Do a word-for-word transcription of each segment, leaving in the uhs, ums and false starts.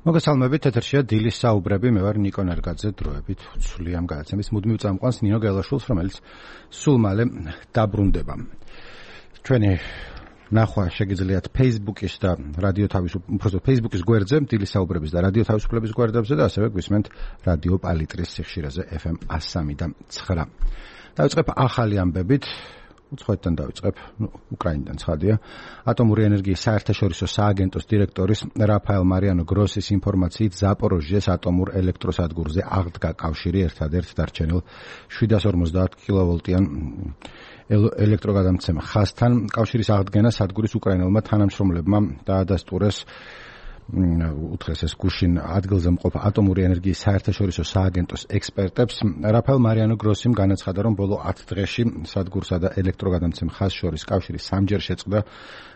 მოგესალმებით, ეთერშია დილის საუბრები, მე ვარ ნიკო ნერგაძე, დროებით ვცვლი ამ გადაცემის მუდმივ წამყვანს ნინო გელაშვილს, რომელიც სულ მალე დაბრუნდება. ჩვენი ნახვა შეგიძლიათ Facebook-ის და რადიო თავისუფლების Facebook-ის გვერდზე, დილის საუბრების და რადიო თავისუფლების გვერდებზე და ასევე გვისმენთ რადიო პალიტრის სიხშირეზე F M one oh three და nine. დავიწყებ ახალი ამბებით. უცხოეთიდან დავიწყებ, ნუ უკრაინიდან ცხადია. ატომური ენერგიის საერთაშორისო სააგენტოს დირექტორის რაფაელ მარიანო გროსის ინფორმაციით, ზაპოროჟიეს ატომურ ელექტროსადგურზე აღდგა კავშირი ერთადერთ დარჩენილ seven fifty კილოვოლტიან ელექტროგადამცემ ხაზთან. კავშირის აღდგენა სადგურის უკრაინელმა თანამშრომლებმა დაადასტურეს უთხრეს ეს გუშინ ადგილზე მყოფ ატომური ენერგიის საერთაშორისო სააგენტოს ექსპერტებს. რაფაელ მარიანო გროსიმ განაცხადა, რომ ბოლო ათ დღეში სადგურსა და ელექტროგადამცემ ხაზს შორის კავშირი სამჯერ შეწყდა,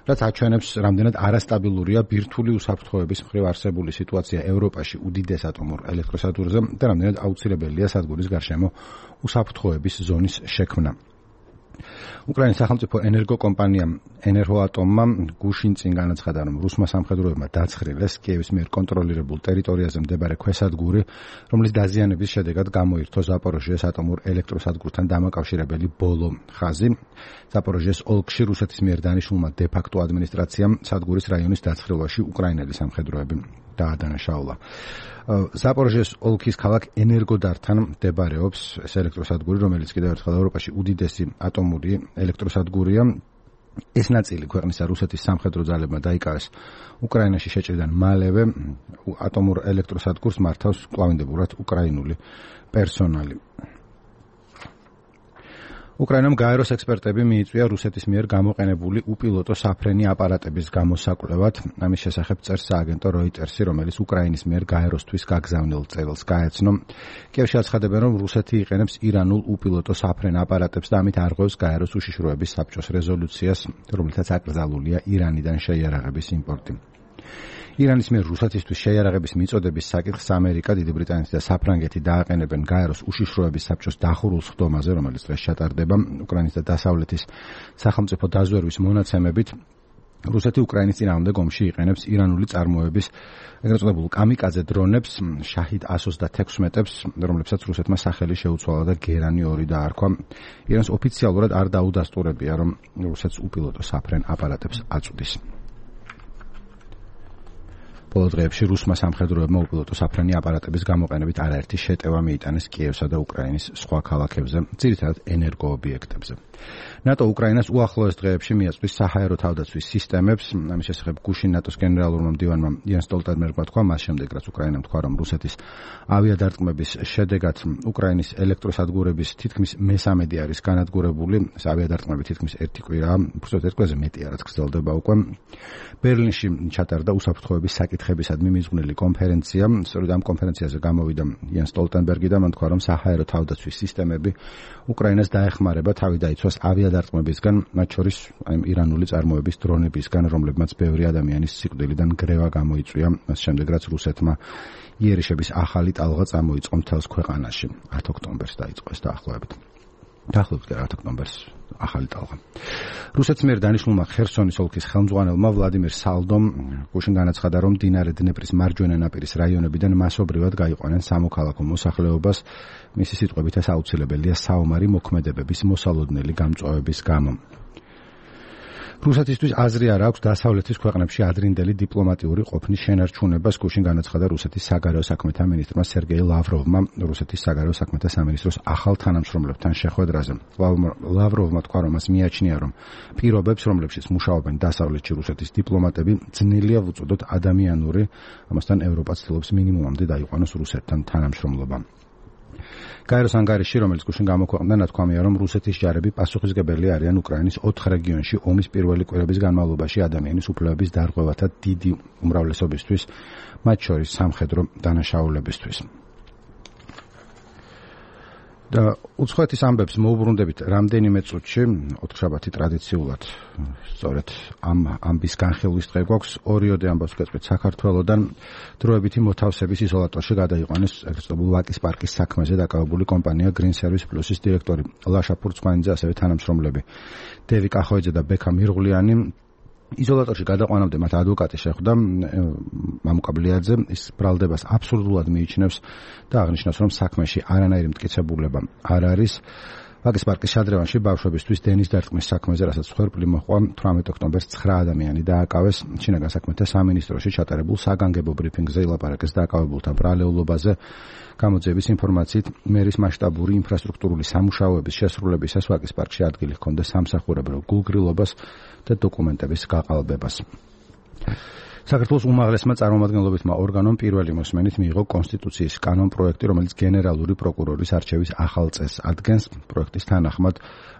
რაც აჩვენებს, რამდენად არასტაბილურია ბირთვული უსაფრთხოების მხრივ არსებული სიტუაცია ევროპაში უდიდეს ატომურ ელექტროსადგურზე და რამდენად აუცილებელია სადგურის გარშემო უსაფრთხოების ზონის შექმნა. უკრაინის სახელმწიფო ენერგოკომპანიამ ენერგოატომმა გუშინ წინ განაცხადა, რომ რუსმა სამხედროებმა დაცხრილეს კიევის მიერ კონტროლირებულ ტერიტორიაზე მდებარე ქვესადგური, რომლის დაზიანების შედეგად გამოირთო ზაპოროჟიეს ატომურ ელექტროსადგურთან დამაკავშირებელი ბოლო ხაზი. ზაპოროჟიეს ოლქში რუსეთის მიერ დანიშნულმა დე-ფაქტო ადმინისტრაციამ სადგურის რაიონის დაცხრილვაში უკრაინელი სამხედროები დაადანაშაულა. ზაპოროჟიეს ოლქის ქალაქ ენერგოდართან მდებარეობს ეს ელექტროსადგური, რომელიც კიდევ ერთხელ ევროპაში უდიდესი ატომური ელექტროსადგურია. ეს ნაწილი ქვეყნისა რუსეთის სამხედრო ძალებმა დაიკავეს უკრაინაში შეჭრიდან მალევე. ატომურ ელექტროსადგურს მართავს კვლავინდებურად უკრაინული პერსონალი. უკრაინამ გაეროს ექსპერტები მიიწვია რუსეთის მიერ გამოყენებული უპილოტო საფრენი აპარატების გამოსაკვლევად. ამის შესახებ წერს სააგენტო როიტერსი, რომელიც უკრაინის მიერ გაეროსთვის გაგზავნილ წერილს გაეცნო. კიევში აცხადებენ, რომ რუსეთი იყენებს ირანულ უპილოტო საფრენ აპარატებს და ამით არღვევს გაეროს უშიშროების საბჭოს რეზოლუციას, რომლითაც აკრძალულია ირანიდან შეიარაღების იმპორტი. ირანის მიერ რუსეთისთვის შეიარაღების მიწოდების საკითხს ამერიკა, დიდი ბრიტანეთი და საფრანგეთი დააყენებენ გაეროს უშიშროების საბჭოს დახურულ სხდომაზე, რომელიც დღეს ჩატარდება. უკრაინის და დასავლეთის სახელმწიფო დაზვერვის მონაცემებით, რუსეთი უკრაინის წინააღმდეგ ომში იყენებს ირანული წარმოების ეგრეთ წოდებულ კამიკაძე დრონებს, შაჰიდ one sixty-six-ებს, რომლებსაც რუსეთმა სახელი შეუცვალა და გერანი ორი დაარქვა. ირანს ოფიციალურად არ დაუდასტურებია, რომ რუსეთს უპილოტო საფრენ აპარატებს აწვდის. ბოლო დღეებში რუსმა სამხედროებმა უპილოტო საფრენი აპარატების გამოყენებით არაერთი შეტევა მიიტანეს კიევსა და უკრაინის სხვა ქალაქებზე, ძირითადად ენერგოობიექტებზე. ნატო უკრაინას უახლოეს დღეებში მიაწვის საჰაერო თავდაცვის სისტემებს. ამის შესახებ გუშინ ნატოს გენერალურმა მდივანმა იან სტოლტენბერგმა თქვა, მას შემდეგ რაც უკრაინამ თქვა, რომ რუსეთის ავიადარტყმების შედეგად უკრაინის ელექტროსადგურების თითქმის მესამედი არის განადგურებული. ეს ავიადარტყმები თითქმის ერთი კვირაა, უბრალოდ ერთ კვირაზე მეტია, რაც გრძელდება უკვე. ბერლინში ჩატარდა უსაფრთხოების საკითხებისადმი მიზღვნილი კონფერენცია. სწორედ ამ კონფერენციაზე გამოვიდა იან სტოლტენბერგი და მან თქვა, რომ საჰაერო თავდაცვის სისტემები უკრაინას დაეხმარება თავი დაიცვას ავიადარტყმებისგან, მათ შორის აი ირანული წარმოების დრონებისგან, რომლებმაც ბევრი ადამიანის სიკვდილიდან გრევა გამოიწვია, მას შემდეგ რაც რუსეთმა იერიშების ახალი ტალღა წამოიწყო მთელს ქვეყანაში. ათ ოქტომბერს დაიწყო ეს დაახლოებით. დაახლოებით ათ ოქტომბერს ახალი ტალღა. რუსეთის მიერ დანიშნულმა ხერსონის ოლქის ხელმძღვანელმა ვლადიმერ სალდომ გუშინ განაცხადა, რომ მდინარე დნეპრის მარჯვენა ნაპირის რაიონებიდან მასობრივად გაიყვანენ სამოქალაქო მოსახლეობას. მისი სიტყვებით ეს აუცილებელია საომარი მოქმედებების მოსალოდნელი გამწვავების გამო. რუსეთისთვის აზრი არ აქვს დასავლეთის ქვეყნებში ადრინდელი დიპლომატიური ყოფნის შენარჩუნებას. გუშინ განაცხადა რუსეთის საგარეო საქმეთა მინისტრმა სერგეი ლავროვმა რუსეთის საგარეო საქმეთა სამინისტროს ახალ თანამშრომლებთან შეხვედრაზე. ლავროვმა თქვა, რომ მას მიაჩნია, რომ პირობებს, რომლებშიც მუშაობენ დასავლეთში რუსეთის დიპლომატები, ძნელია ვუწოდოთ ადამიანური, ამასთან ევროპა ცდილობს მინიმუმამდე დაიყვანოს რუსეთთან თანამშრომლობა. გაეროს ანგარიში, რომელიც გუშინ გამოქვეყნდა, ნათქვამია, რომ რუსეთის ჯარები პასუხისმგებელი არიან უკრაინის ოთხ რეგიონში ომის პირველი კვირების განმავლობაში ადამიანის უფლებების დარღვევათა დიდი უმრავლესობისთვის, მათ შორის სამხედრო დანაშაულებისთვის. და უცხოეთის ამბებს მოუბრუნდებით რამდენიმე წუთში, ოთხშაბათი ტრადიციულად სწორედ ამ ამბის განხილვის დღე გვაქვს. ორიოდე ამბავს ვკეთებთ საქართველოდან. დროებითი მოთავსების იზოლატორში გადაიყვანეს ეგრეთ წოდებულ ვაკის პარკის საქმეზე დაკავებული კომპანია Green Service Plus-ის დირექტორი ლაშა ფურცხვანიძე, ასევე თანამშრომლები დევი კახოიძე და ბექა მირღვლიანი. იზოლატორში გადაყვანამდე მათ ადვოკატი შეხვდა მამუკაბლიაძე, ის ბრალდებას აბსურდულად მიიჩნევს და აღნიშნავს, რომ საქმეში არანაირი მტკიცებულება არ არის. ვაკის პარკის შადრევანში ბავშვებისთვის დენის დარტყმის საქმეზე, რასაც მსხვერპლი მოჰყვა, თვრამეტ ოქტომბერს ცხრა ადამიანი დააკავეს. შინაგან საქმეთა სამინისტროში ჩატარებულ საგანგებო ბრიფინგზე ილაპარაკეს დააკავებულთა ბრალეულობაზე. გამოძიების ინფორმაციით, მერის მასშტაბური ინფრასტრუქტურული სამუშაოების შესრულებისას ვაკის პარკში ადგილი ჰქონდა სამსახურებრივ გულგრილობას და დოკუმენტების გაყალბებას. საქართველოს უმაღლესმა წარმომადგენლობითმა ორგანომ პირველი მოსმენით მიიღო კონსტიტუციის კანონპროექტი, რომელიც გენერალური პროკურორის არჩევის ახალ წესს ადგენს. პროექტის თანახმად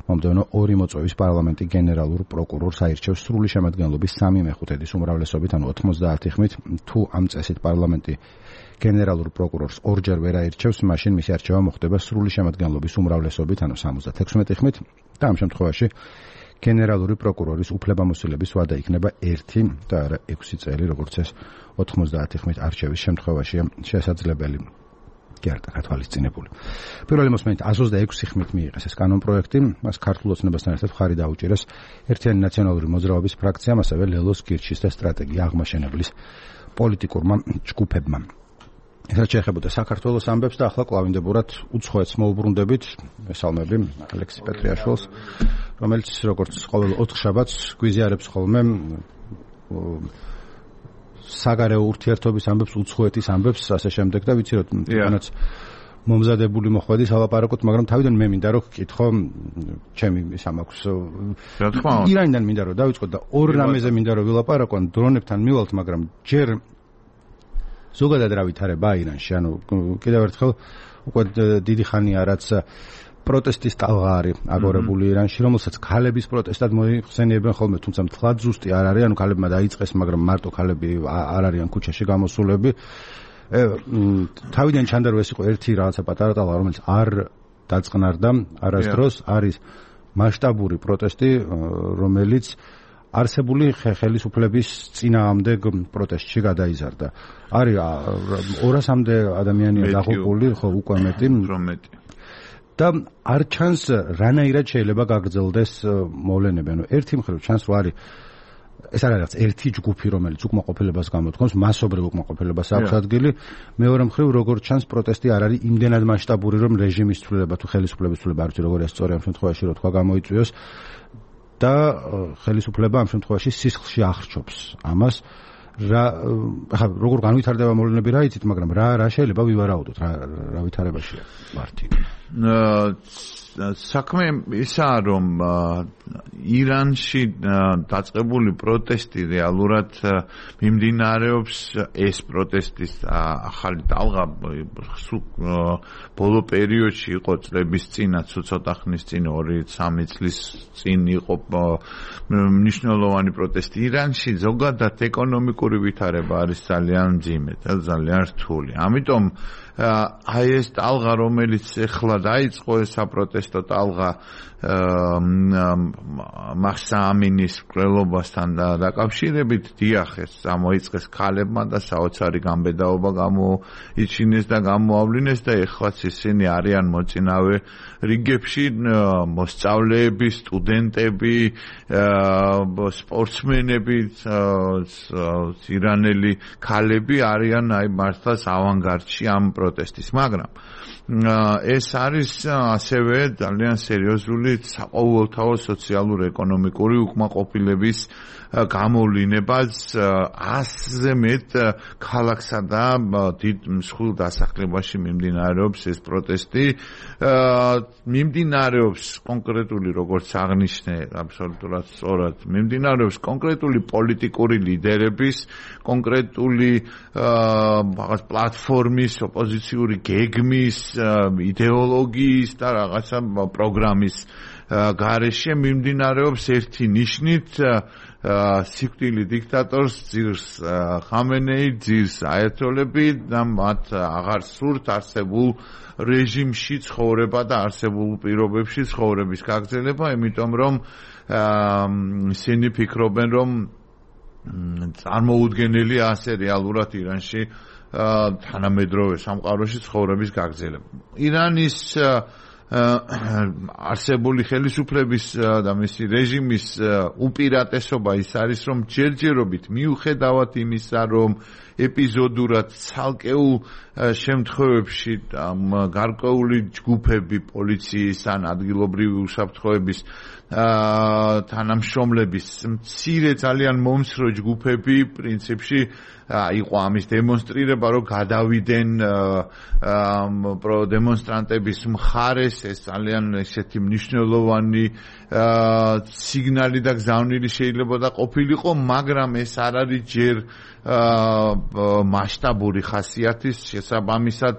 მომდევნო ორი მოწვევის პარლამენტი გენერალურ პროკურორს აირჩევს სრული შემადგენლობის სამი მეხუთედის უმრავლესობით, ანუ ოთხმოცდაათი ხმით. თუ ამ წესით პარლამენტი გენერალურ პროკურორს ორჯერ ვერ აირჩევს, მაშინ მისი არჩევა მოხდება სრული შემადგენლობის უმრავლესობით, ანუ სამოცდათექვსმეტი ხმით და ამ შემთხვევაში გენერალური პროკურორის უფლებამოსილების ვადა იქნება ერთი და არა ექვსი წელი, როგორც ეს ოთხმოცდაათი ხმით არჩევის შემთხვევაშია შესაძლებელი. კი არ გათვალისწინებული. პირველი მოსმენით ას ოცდაექვსი ხმით მიიღეს ეს კანონპროექტი, მას ქართულ ოცნებასთან ერთად მხარი დაუჭირეს ერთიანი ნაციონალური მოძრაობის ფრაქციამ, ასევე ლელოს კირჩის და სტრატეგია აღმაშენებლის პოლიტიკურმა ჯგუფებმა. რაც შეეხებოდა საქართველოს ამბებს და ახლა კლავინდებურად უცხოეთს მოუბრუნდებით, მესალმები ალექსი პეტრიაშვილს, რომელიც როგორც ყოველ ოთხშაბათს გვიზიარებს ხოლმე საგარეო ურთიერთობის ამბებს, უცხოეთის ამბებს, ასე შემდეგ და ვიცი რომ თვითონაც მომზადებული მოხვედი სალაპარაკოთ, მაგრამ თავიდან მე მინდა რომ გკითხო, ჩემი ის ამაქვს. რა თქმა უნდა. ირანიდან მინდა რომ დავიწყოთ და ორ რამეზე მინდა რომ ვილაპარაკო, დრონებთან მივალთ, მაგრამ ჯერ ზოგადად რა ვითარება ირანში, ანუ კიდევ ერთხელ უკვე დიდი ხანია რაც პროტესტის ტალღა არის აგორებული ირანში, რომელსაც ქალების პროტესტად მოიხსენიებენ ხოლმე, თუმცა მთლად ზუსტი არ არის, ანუ ქალებმა დაიწყეს, მაგრამ მარტო ქალები არ არიან ქუჩაში გამოსულები. თავიდან ჩანდა რომ ეს იყო ერთი რაღაცა პატარა ტალღა, რომელიც არ დაწყნარდა არასდროს, არის მასშტაბური პროტესტი, რომელიც არსებული ხელისუფლების წინააღმდეგ პროტესტში გადაიზარდა. არის ორასამდე ადამიანია დაღუპული, ხო, უკვე მეტი. და არ ჩანს რანაირად შეიძლება გაგრძელდეს მოვლენები. ანუ ერთი მხრივ ჩანს რომ არის ეს არ არის ერთი ჯგუფი, რომელიც უკმაყოფილებას გამოთქვამს, მასობრივ უკმაყოფილებას აქვს ადგილი. მეორე მხრივ როგორც ჩანს პროტესტი არ არის იმდენად მასშტაბური, რომ რეჟიმის ცვლილება თუ ხელისუფლების ცვლილება არ ვიცი როგორია სწორი ამ შემთხვევაში რო თქვა გამოიწვიოს და ხელისუფლება ამ შემთხვევაში სისხლში ახრჩობს ამას. რა ხა როგორ განვითარდება მოვლენები რა იცით, მაგრამ რა რა შეიძლება ვივარაუდოთ, რა რა ვითარებაშია მარტი. საქმე ისაა რომ ირანში დაწყებული პროტესტი რეალურად მიმდინარეობს, ეს პროტესტის ახალი ტალღა ბოლო პერიოდში იყო წლების წინაც, ცოტა ხნის წინ, ორი სამი წლის წინ იყო მნიშვნელოვანი პროტესტი ირანში. ზოგადად ეკონომიკური ვითარება არის ძალიან მძიმე და ძალიან რთული. ამიტომ აი ეს ტალღა, რომელიც ეხლა დაიწყო, ეს საპროტესტო ტალღა მაჰსა ამინის მკვლელობასთან დაკავშირებით, დიახ, ეს გამოიწყეს ქალებმა და საოცარი გამბედაობა გამოიჩინეს და გამოავლინეს და ეხლაც ისინი არიან მოწინავე რიგებში, მოსწავლეები, სტუდენტები, სპორტსმენები, ირანელი ქალები არიან აი მართლაც ავანგარდში ამ პროტესტის, მაგრამ ეს არის ასევე ძალიან სერიოზული საყოველთაო სოციალურ-ეკონომიკური უკმაყოფილების გამოვლინებაც. ასზე მეტ ქალაქსა და დიდ მსხვილ დასახლებაში მიმდინარეობს ეს პროტესტი. მიმდინარეობს კონკრეტული, როგორც აღნიშნე, აბსოლუტურად სწორად, მიმდინარეობს კონკრეტული პოლიტიკური ლიდერების, კონკრეტული რაღაც პლატფორმის, ოპოზიციური გეგმის, იდეოლოგიის და რაღაცა პროგრამის გარეშე მიმდინარეობს ერთი ნიშნით სიკვდილი დიქტატორს ძირს ხამენეი, ძირს აიათოლები და მათ აღარ სურთ არსებულ რეჟიმში ცხოვრება და არსებულ პირობებში ცხოვრების გაგრძელება, იმიტომ რომ ისინი ფიქრობენ, რომ წარმოუდგენელია ასე რეალურად ირანში თანამედროვე სამყაროში ცხოვრების გაგრძელება. ირანის არსებული ხელისუფლების და მისი რეჟიმის უპირატესობა ის არის, რომ ჯერჯერობით მიუხედავად იმისა, რომ ეპიზოდურად ცალკეულ შემთხვევებში გარკვეული ჯგუფები პოლიციის ან ადგილობრივი უსაფრთხოების თანამშრომლების მცირე ძალიან მომცრო ჯგუფები პრინციპში იყო ამის დემონსტრირება, რომ გადავიდნენ დემონსტრანტების მხარეს, ეს ძალიან ესეთი მნიშვნელოვანი სიგნალი და გზავნილი შეიძლება და ყოფილიყო, მაგრამ ეს არ არის ჯერ მასშტაბური ხასიათის, შესაბამისად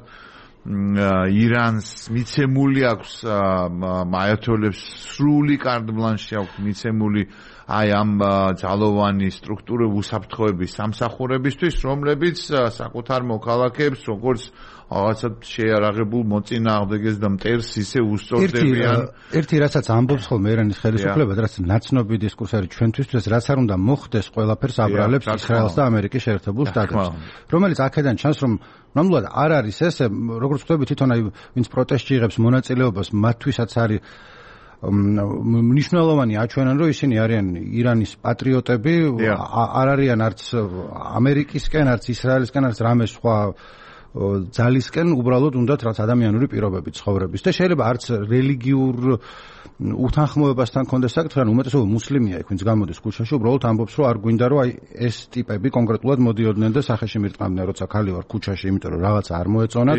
ირანს მიცემული აქვს აიათოლებს სრული კარტ ბლანში აქვს მიცემული აი ამ ძალოვანი სტრუქტურები უსაფრთხოების სამსახურებისთვის, რომლებიც საკუთარ მოქალაქეებს როგორც რაღაცა შეიარაღებულ მოწინააღმდეგეს და მტერს ისე უსწორდებიან. ერთი რასაც ამბობს ხოლმე ირანის ხელისუფლება, რაც ნაცნობი დისკურსი არის ჩვენთვის, რაც არ უნდა მოხდეს, ყველაფერს აბრალებს ისრაელს და ამერიკის შეერთებულ შტატებს, რომელიც აქედან ჩანს, რომ ნამდვილად არ არის ესე, როგორც ვთქვი, თვითონ აი ვინც პროტესტში იღებს მონაწილეობას, მათთვისაც არის მნიშვნელოვანი აჩვენენ, რომ ისინი არიან ირანის პატრიოტები, არ არიან არც ამერიკისკენ, არც ისრაელისკენ, არც რამე სხვა ძალისკენ, უბრალოდ უნდათ რაც ადამიანური პირობები ცხოვრების და შეიძლება არც რელიგიურ უთანხმოებასთან კონდეს საკითხი, ან უმეტესობა მუსლიმია იქ, ვინც გამოდის ქუჩაში, უბრალოდ ამბობს, რომ არ გვინდა, რომ აი ეს ტიპები კონკრეტულად მოდიოდნენ და სახეში მირტყამდნენ, როცა ქალი ვარ ქუჩაში, იმიტომ რომ რაღაცა არ მოეწონათ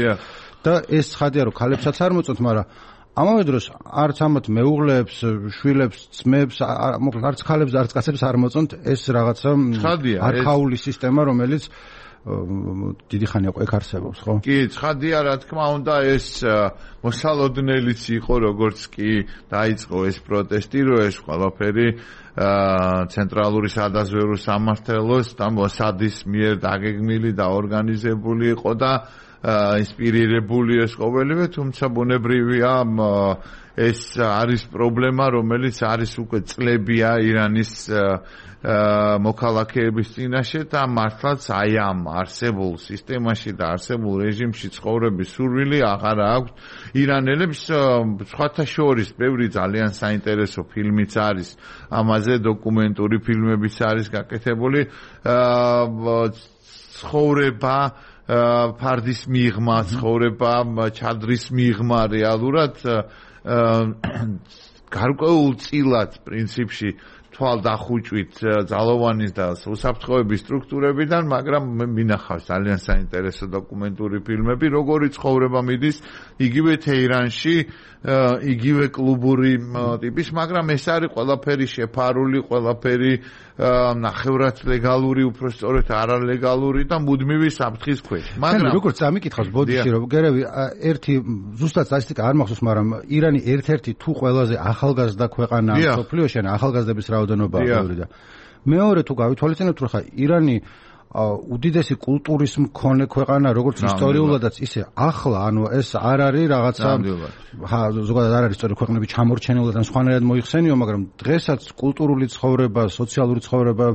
და ეს ცხადია, რომ ქალებსაც არ მოწონთ, მაგრამ ამავე დროს არც ამათ მეუღლეებს, შვილებს, ძმებს, არც ქალებს და არც კაცებს არ მოწონთ ეს რაღაცა არქაული სისტემა, რომელიც დიდი ხანია ყეკ არსებობს, ხო? კი, ცხადია, რა თქმა უნდა, ეს მოსალოდნელიც იყო, როგორც კი დაიწყო ეს პროტესტი, რომ ეს ყველაფერი ცენტრალური სადაზვერვო სამმართველოს და მოსადის მიერ დაგეგმილი და ორგანიზებული იყო და ინსპირირებული ეს ყოველივე, თუმცა ბუნებრივია ეს არის პრობლემა, რომელიც არის უკვე წლებია ირანის მოქალაქეების წინაშე და მართლაც აი ამ არსებულ სისტემაში და არსებულ რეჟიმში ცხოვრების სურვილი აღარ აქვს ირანელებს. სხვათა შორის ბევრი ძალიან საინტერესო ფილმიც არის ამაზე, დოკუმენტური ფილმებიც არის გაკეთებული, ცხოვრება ფარდის მიღმა, ცხოვრება ჩადრის მიღმა რეალურად გარკვეულ წილად პრინციპში თვალდახუჭვით ძალოვანის და უსაფრთხოების სტრუქტურებიდან, მაგრამ მინახავს ძალიან საინტერესო დოკუმენტური ფილმები, როგორი ცხოვრება მიდის იგივე თეირანში, იგივე კლუბური ტიპის, მაგრამ ეს არის ყველაფერი შეფარული, ყველაფერი ნახევრად ლეგალური, უფრო სწორედ არალეგალური და მუდმივი საფრთხის ქვეშ. მაგრამ როგორც ამიკითხავს ბოდიში, რომ გერევი ერთი ზუსტად სტატისტიკა არ მახსოვს, მაგრამ ირანი ერთ-ერთი თუ ყველაზე ახალგაზრდა ქვეყანაა მსოფლიოში, ან ახალგაზრდების რაოდენობაა ბევრი და მეორე თუ გავითვალისწინებთ, რომ ხა ირანი უდიდესი კულტურის მქონე ქვეყანა, როგორც ისტორიულადაც, ისე ახლა, ანუ ეს არ არის რაღაცა ზოგადად არ არის სწორი ქვეყნები ჩამორჩენილად ან სხვანაირად მოიხსენიო, მაგრამ დღესაც კულტურული ცხოვრება, სოციალური ცხოვრება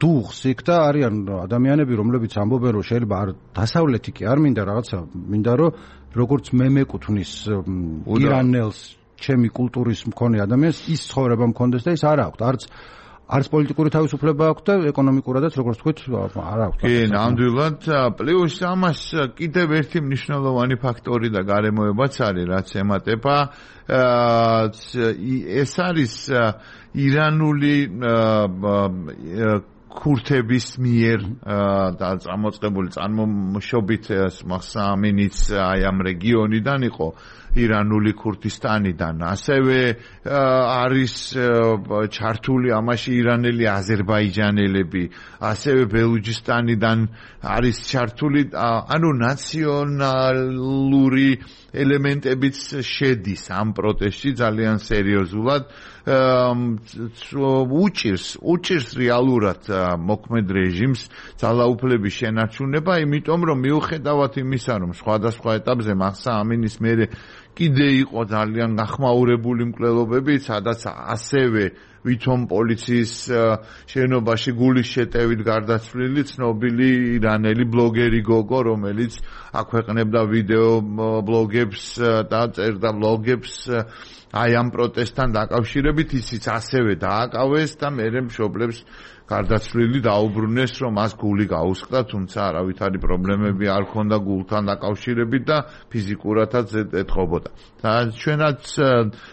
დუხს იქ და არიან ადამიანები, რომლებიც ამბობენ, რომ შეიძლება არ დასავლეთი კი არ მინდა რაღაცა, მინდა რომ როგორც მე მეკუთვნის ირანელს, ჩემი კულტურის მქონე ადამიანს ის ცხოვრება მქონდეს და ის არ აქვს, არც არც პოლიტიკური თავისუფლება აქვს და ეკონომიკურადაც, როგორც თქვით, არ აქვს. კი, ნამდვილად, პლუს ამას კიდევ ერთი მნიშვნელოვანი ფაქტორი და გარემოებაც არის, რაც ემატება ეს არის ირანული ქურთების მიერ და წამოწყებული წარმოშობით მახსა ამინიც აი ამ რეგიონიდან იყო, ირანული ქურთისტანიდან, ასევე არის ჩართული ამაში ირანელი აზერბაიჯანელები, ასევე ბელუჯისტანიდან არის ჩართული, ანუ ნაციონალური ელემენტებიც შედის ამ პროტესტში ძალიან სერიოზულად. უჭირს უჭირს რეალურად მოქმედ რეჟიმს ძალაუფლების შენარჩუნება, იმიტომ რომ მიუხედავად იმისა, რომ სხვადასხვა ეტაპზე მახსა ამინის მერე კიდე იყო ძალიან გახმაურებული მკვლელობები, სადაც ასევე ვითომ პოლიციის შენობაში გულის შეტევით გარდაცვლილი ცნობილი ირანელი ბლოგერი გოგო, რომელიც აქვეყნებდა ვიდეო ბლოგებს და წერდა ბლოგებს აი ამ პროტესტთან დაკავშირებით, ისიც ასევე დააკავეს და მერე მშობლებს გარდაცვლილი დაუბრუნეს, რომ მას გული გაუსხდა, თუმცა არავითარი პრობლემები არ ჰქონდა გულთან დაკავშირებით და ფიზიკურადაც ეთყობოდა. და ჩვენაც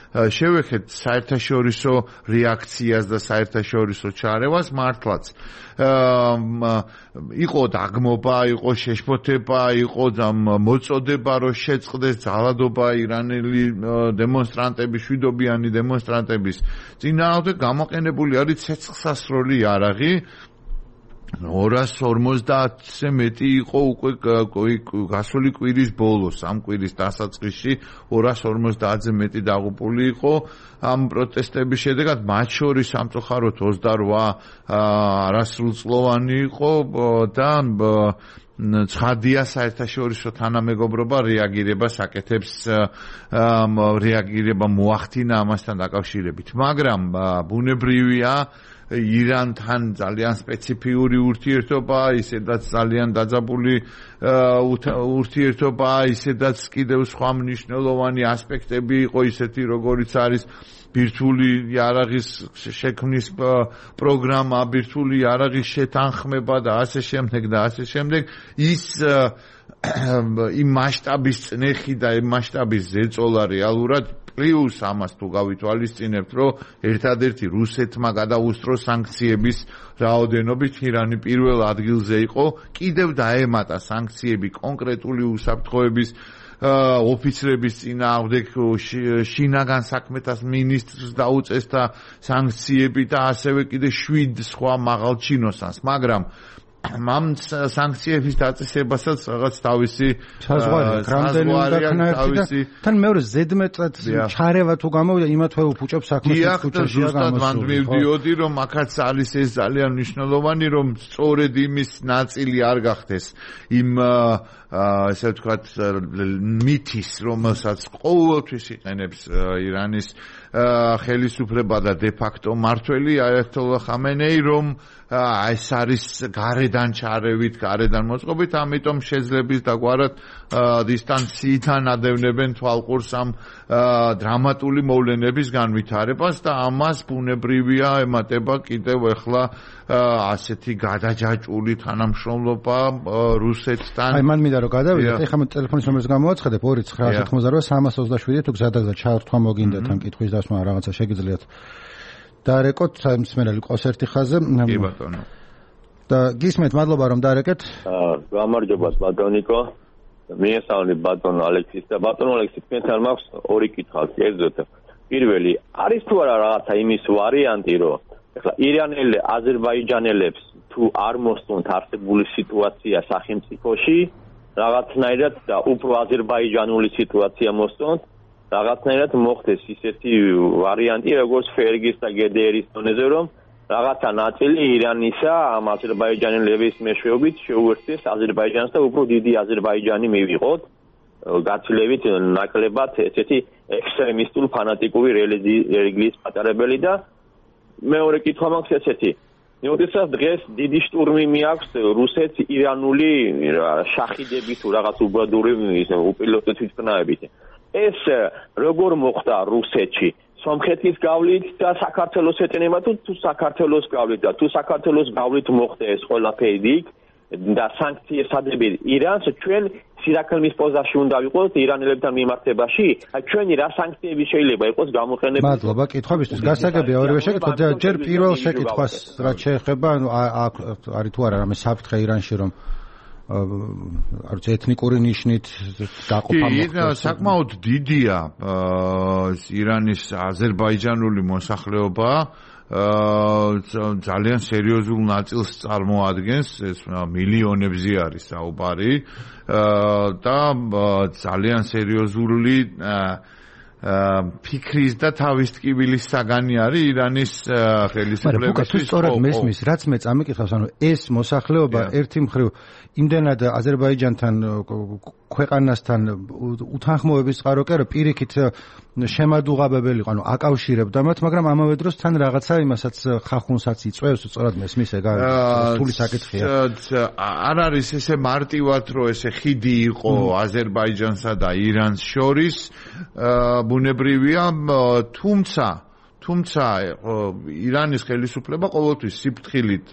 შევეხეთ საერთაშორისო რეაქციას და საერთაშორისო ჩარევას, მართლაც იყო დაგმობა, იყო შეშფოთება, იყო მოწოდება, რომ შეწყდეს ძალადობა ირანელი დემონსტრანტების, შვიდობიანი დემონსტრანტების წინააღმდეგ, გამოყენებული არის ცეცხლსასროლი იარაღი. ორას ორმოცდაათზე მეტი იყო უკვე გასული კვირის ბოლოს, ამ კვირის დასაწყისში ორას ორმოცდაათზე მეტი დაღუპული იყო ამ პროტესტების შედეგად, მათ შორის სამწუხაროდ ოცდარვა არასრულწლოვანი იყო და ცხადია საერთაშორისო თანამეგობრობა რეაგირებას აკეთებს, რეაგირება მოახდინა ამასთან დაკავშირებით, მაგრამ ბუნებრივია ირანთან ძალიან სპეციფიური ურთიერთობა, ისედაც ძალიან დაძაბული ურთიერთობა, ისედაც კიდევ სხვა მნიშვნელოვანი ასპექტები იყო, ისეთი როგორიც არის ბირთვული იარაღის შექმნის პროგრამა, ბირთვული იარაღის შეთანხმება და ასე შემდეგ და ასე შემდეგ. ის იმ მასშტაბის წნეხი და იმ მასშტაბის ზეწოლა რეალურად პლუს ამას თუ გავითვალისწინებთ, რომ ერთადერთი რუსეთმა გადაუსწრო სანქციების რაოდენობით ირანი პირველ ადგილზე იყო, კიდევ დაემატა სანქციები კონკრეტული უსაფრთხოების ოფიცრების წინააღმდეგ, შინაგან საქმეთა მინისტრს დაუწესდა სანქციები და ასევე კიდე შვიდ სხვა მაღალჩინოსანს, მაგრამ ამ სანქციების დაწესებასაც რაღაც თავისი საზღვარი თან მეორე ზედმეტად ჩარევა თუ გამოვიდა იმათვე უფუჭებს საქმეს ქუჩაშია გამოსული. მივდიოდი რომ აქაც არის ეს ძალიან მნიშვნელოვანი, რომ სწორედ იმის ნაწილი არ გახდეს იმ ესე ვთქვათ მითის, რომელსაც ყოველთვის იყენებს ირანის ხელისუფლება და დე ფაქტო მართველი აიათოლა ხამენეი, რომ ეს არის გარედან ჩარევით, გარედან მოწყობით, ამიტომ შეძლების დაგვარად დისტანციიდან ადევნებენ თვალყურს ამ დრამატული მოვლენების განვითარებას და ამას ბუნებრივია ემატება კიდევ ახლა ასეთი გადაჯაჭვული თანამშრომლობა რუსეთთან. აი მან მინდა რომ გადავიდეთ, ეხლა მე ტელეფონის ნომერს გამოვაცხადებ ორი ცხრა ათმოცდაოთხ სამას ოცდაშვიდი თუ გზადაგზა ჩაართვა მოგინდათ ან კითხვის დასმა რაღაცა შეგიძლიათ დარეკოთ მსმენელი ყავს ერთი ხაზზე. კი ბატონო. და გისმენთ, მადლობა რომ დარეკეთ. გამარჯობა ბატონიკო. მიესალმებით ბატონო ალექსის და ბატონო ალექსი, თქვენთან მაქვს ორი კითხვა. კერძოდ პირველი, არის თუ არა რაღაცა იმის ვარიანტი, რომ ეხლა ირანელი აზერბაიჯანელებს თუ არ მოსწონთ არსებული სიტუაცია სახელმწიფოში, რაღაცნაირად და უფრო აზერბაიჯანული სიტუაცია მოსწონთ, რაღაცნაირად მოხდეს ისეთი ვარიანტი, როგორც ფერგის და გედერის დონეზე, რომ რაღაცა ნაწილი ირანისა ამ აზერბაიჯანელების მეშვეობით შეუერთდეს აზერბაიჯანს და უფრო დიდი აზერბაიჯანი მივიღოთ, გაცილებით ნაკლებად ესეთი ექსტრემისტულ ფანატიკური რელიგიის პატარებელი და მეორე კითხვა მაქვს ესეთი. როდესაც დღეს დიდი შტურმი მიაქვს რუსეთს ირანული შახიდები თუ რაღაც უბადური უპილოტო თვითმფრინავებით. ეს როგორ მოხდა რუსეთში? სომხეთის გავლით და საქართველოს ეტენება თუ თუ საქართველოს გავლით და თუ საქართველოს გავლით მოხდა ეს ყველაფერი და სანქციებსადები ირანს ჩვენ სირაქლმის პოზაში უნდა ვიყოთ ირანელებთან მიმართებაში, აი ჩვენი რა სანქციები შეიძლება იყოს გამოყენებული. მადლობა კითხვებისთვის. გასაგებია ორივე შეკითხვა. ჯერ პირველ შეკითხვას რაც შეეხება, ანუ არის თუ არა რამე საფრთხე ირანში, რომ არც ეთნიკური ნიშნით დაყოფა მოხდეს. კი, საკმაოდ დიდია ირანის აზერბაიჯანული მოსახლეობა, ძალიან სერიოზულ ნაწილს წარმოადგენს, ეს მილიონებზე არის საუბარი და ძალიან სერიოზული ფიქრის და თავის ტკივილის საგანი არის ირანის ხელისუფლების. მაგრამ თუ სწორად მესმის, რაც მე წამიკითხავს, ანუ ეს მოსახლეობა ერთი მხრივ იმდენად აზერბაიჯანთან ქვეყანასთან უთანხმოების წყარო კი არა, პირიქით შემადუღაბებელი იყო, ანუ აკავშირებდა მათ, მაგრამ ამავე დროს თან რაღაცა იმასაც ხახუნსაც იწვევს, სწორად მესმის, ეგ რთული საკითხია. არ არის ესე მარტივად, რომ ესე ხიდი იყო აზერბაიჯანსა და ირანს შორის, ბუნებრივია, თუმცა თუმცა ირანის ხელისუფლება ყოველთვის სიფრთხილით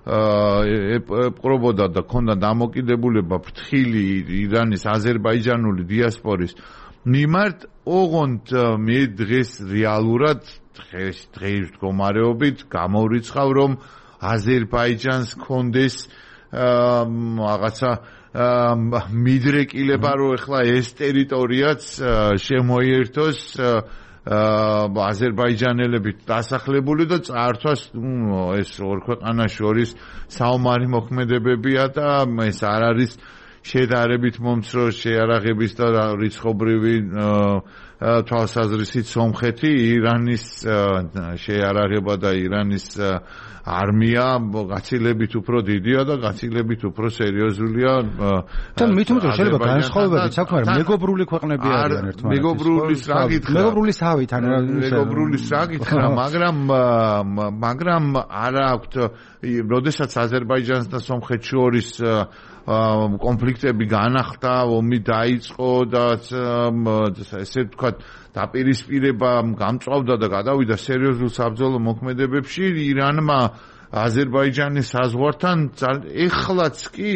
ეპყრობოდა და ქონდა დამოკიდებულება ფრთხილი ირანის აზერბაიჯანული დიასპორის მიმართ, ოღონდ მე დღეს რეალურად დღეს დღის მდგომარეობით გამოვრიცხავ, რომ აზერბაიჯანს ქონდეს რაღაცა მიდრეკილება, რომ ეხლა ეს ტერიტორიაც შემოიერთოს აზერბაიჯანელებით დასახლებული და წართვას ეს ორ ქვეყანას შორის საომარი მოქმედებებია და ეს არ არის შედარებით მომცრო შეარაღების და რიცხობრივი თვალსაზრისით სომხეთი, ირანის შეარაღება და ირანის არმია გაცილებით უფრო დიდია და გაცილებით უფრო სერიოზულია. თან მით უმეტეს შეიძლება განსხვავებებიც აქვს, მაგრამ მეგობრული ქვეყნები არიან ერთმანეთის. მეგობრულის რა გითხრა? მეგობრულის თავით, ან მეგობრულის რა გითხრა, მაგრამ მაგრამ არა აქვთ, როდესაც აზერბაიჯანს და სომხეთს შორის კონფლიქტები განახლდა, ომი დაიწყო და ესე ვთქვათ, დაპირისპირება გამწვავდა და გადავიდა სერიოზულ საბრძოლო მოქმედებებში, ირანმა აზერბაიჯანის საზღვართან ეხლაც კი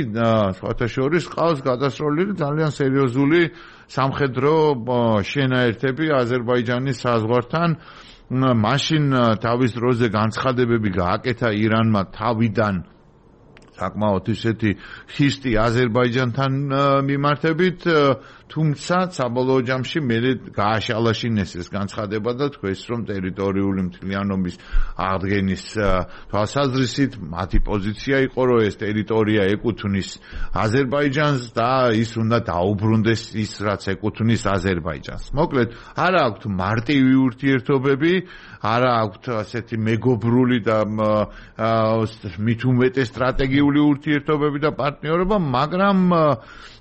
სხვათა შორის ყავს გადასროლილი ძალიან სერიოზული სამხედრო შენაერთები აზერბაიჯანის საზღვართან. მაშინ თავის დროზე განცხადებები გააკეთა ირანმა თავიდან საკმაოდ ისეთი ხისტი აზერბაიჯანთან მიმართებით, თუმცა საბოლოო ჯამში მე გააშალაშინეს ეს განცხადება და თქვეს, რომ ტერიტორიული მთლიანობის აღდგენის თვალსაზრისით მათი პოზიცია იყო, რომ ეს ტერიტორია ეკუთვნის აზერბაიჯანს და ის უნდა დაუბრუნდეს ის, რაც ეკუთვნის აზერბაიჯანს. მოკლედ, არა აქვთ მარტივი ურთიერთობები, არა აქვთ ასეთი მეგობრული და მით უმეტეს სტრატეგიული ურთიერთობები და პარტნიორობა, მაგრამ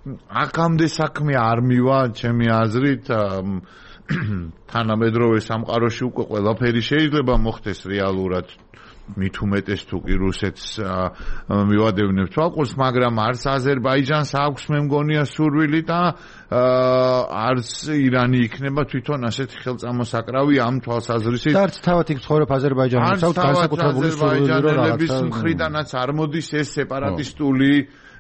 აქამდე საქმე არ მივა, ჩემი აზრით, თანამედროვე სამყაროში უკვე ყველაფერი შეიძლება მოხდეს რეალურად. მით უმეტეს თუ კი რუსეთს მივადევნებ თვალყურს, მაგრამ არც აზერბაიჯანს აქვს მე მგონია სურვილი და არც ირანი იქნება თვითონ ასეთი ხელწამოსაკრავი ამ თვალსაზრისით. არც თავად იქ ცხოვრობ აზერბაიჯანს, აქვს განსაკუთრებული სურვილი, რომ რაღაცა მხრიდანაც არ მოდის ეს სეპარატისტული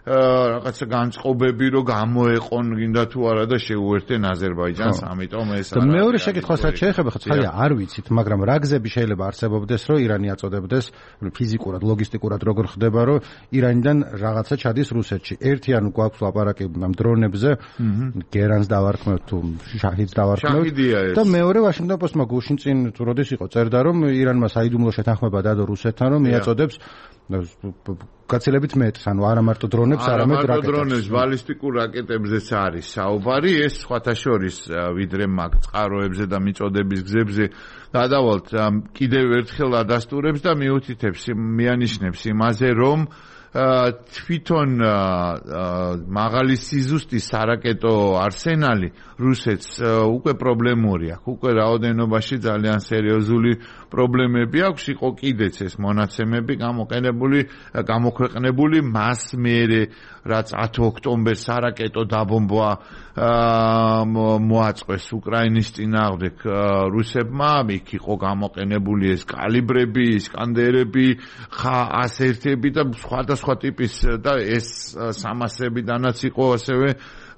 რაღაცა განწყობები, რომ გამოეყონ გინდა თუ არა და შეუერთენ აზერბაიჯანს, ამიტომ ეს არა. მეორე შეკითხვას რაც შეეხება, ხო ცხადია, არ ვიცით, მაგრამ რა გზები შეიძლება არსებობდეს, რომ ირანი აწოდებდეს ფიზიკურად, ლოგისტიკურად როგორ ხდება, რომ ირანიდან რაღაცა ჩადის რუსეთში. ერთი ანუ გვაქვს ლაპარაკი ამ დრონებზე, გერანს დავარქმევთ თუ შაჰიდს დავარქმევთ და მეორე ვაშინგტონ პოსტმა გუშინ წინ თუ როდის იყო წერდა, რომ ირანმა საიდუმლო შეთანხმება დადო რუსეთთან, რომ მიაწოდებს გაცილებით მეტს, ანუ არა მარტო დრონებს, არამედ რაკეტებს. არა მარტო დრონებს, ბალისტიკურ რაკეტებზეც არის საუბარი, ეს სხვათა შორის ვიდრე მაგ წყაროებზე და მიწოდების გზებზე გადავალთ, კიდევ ერთხელ ადასტურებს და მიუთითებს, მიანიშნებს იმაზე, რომ თვითონ მაღალი სიზუსტის სარაკეტო არსენალი რუსეთს უკვე პრობლემური აქვს, უკვე რაოდენობაში ძალიან სერიოზული პრობლემები აქვს, იყო კიდეც ეს მონაცემები გამოყენებული, გამოქვეყნებული მას მერე, რაც ათი ოქტომბერს სარაკეტო დაბომბვა მოაწყვეს უკრაინის წინააღმდეგ რუსებმა, იქ იყო გამოყენებული ეს კალიბრები, ისკანდერები, ას ერთები და სხვადასხვა ტიპის და ეს სამასებიდანაც იყო ასევე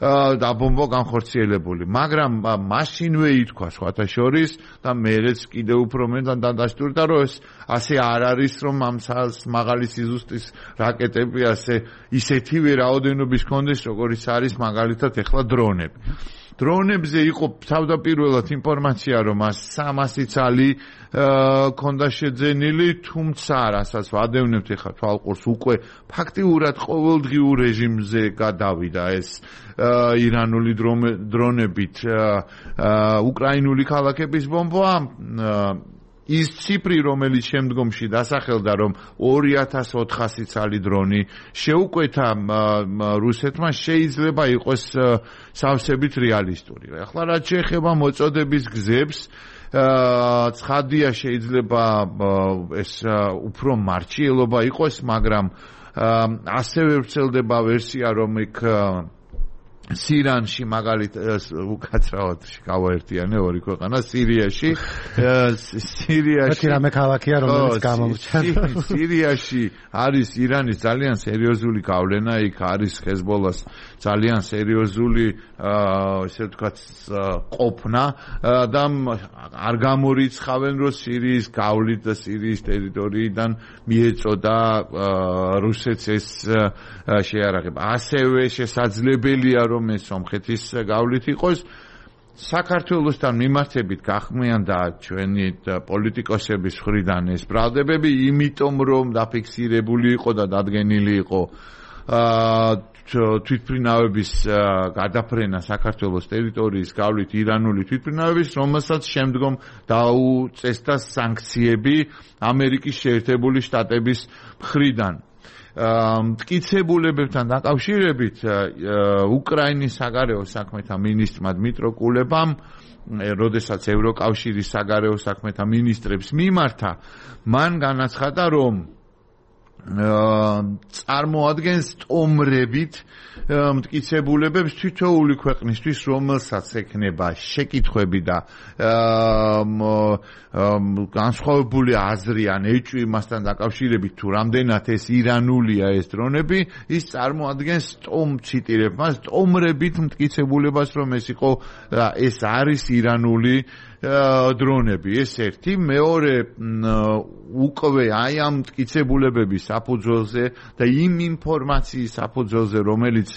დაბომბვა განხორციელებული, მაგრამ მაშინვე ითქვა სხვათა შორის და მერეც კიდევ უფრო მეტად დადასტურდა, რომ ეს ასე არ არის, რომ ამ მაღალი სიზუსტის რაკეტები ასე ისეთივე რაოდენობის კონდეს, როგორიც არის მაგალითად ეხლა დრონები. დრონებზე იყო თავდაპირველად ინფორმაცია, რომ სამასი ცალი ქონდა შეძენილი, თუმცა რასაც ვადევნებთ ახლა თვალყურს უკვე ფაქტიურად ყოველდღიურ რეჟიმზე გადავიდა ეს ირანული დრონებით უკრაინული ქალაქების ბომბა. ის ციფრი, რომელიც შემდგომში დასახელდა, რომ ორი ათას ოთხასი ცალი დრონი შეუკვეთა რუსეთმა, შეიძლება იყოს სავსებით რეალისტური. ახლა რაც შეეხება მოწოდების გზებს, ცხადია შეიძლება ეს უფრო მარჩიელობა იყოს, მაგრამ ასევე ვრცელდება ვერსია, რომ იქ სირანში მაგალითად უკაცრავად გავაერთიანე ორი ქვეყანა სირიაში სირიაში რამე ქალაქია რომელიც გამომჩა სირიაში არის ირანის ძალიან სერიოზული გავლენა, იქ არის ჰეზბოლას ძალიან სერიოზული ესე ვთქვათ ყოფნა და არ გამორიცხავენ, რომ სირიის გავლით და სირიის ტერიტორიიდან მიეწოდა რუსეთს ეს შეარაღება. ასევე შესაძლებელია რომ ეს სომხეთის გავლით იყოს. საქართველოსთან მიმართებით გახმიანდა ჩვენი პოლიტიკოსების მხრიდან ეს ბრალდებები, იმიტომ რომ დაფიქსირებული იყო და დადგენილი იყო თვითმფრინავების გადაფრენა საქართველოს ტერიტორიის გავლით ირანული თვითმფრინავების, რომელსაც შემდგომ დაუწესდა სანქციები ამერიკის შეერთებული შტატების მხრიდან. მტკიცებულებებთან დაკავშირებით უკრაინის საგარეო საქმეთა მინისტრმა დმიტრო კულებამ, როდესაც ევროკავშირის საგარეო საქმეთა მინისტრებს მიმართა, მან განაცხადა, რომ წარმოადგენს ტომრებით მტკიცებულებებს თითოეული ქვეყნისთვის, რომელსაც ექნება შეკითხვები და განსხვავებული აზრი ან ეჭვი მასთან დაკავშირებით, თუ რამდენად ეს ირანულია ეს დრონები, ის წარმოადგენს ტომ ციტირებ მას ტომრებით მტკიცებულებას, რომ ეს იყო ეს არის ირანული დრონები. ეს ერთი. მეორე, უკვე აი ამ მტკიცებულებების საფუძველზე და იმ ინფორმაციის საფუძველზე, რომელიც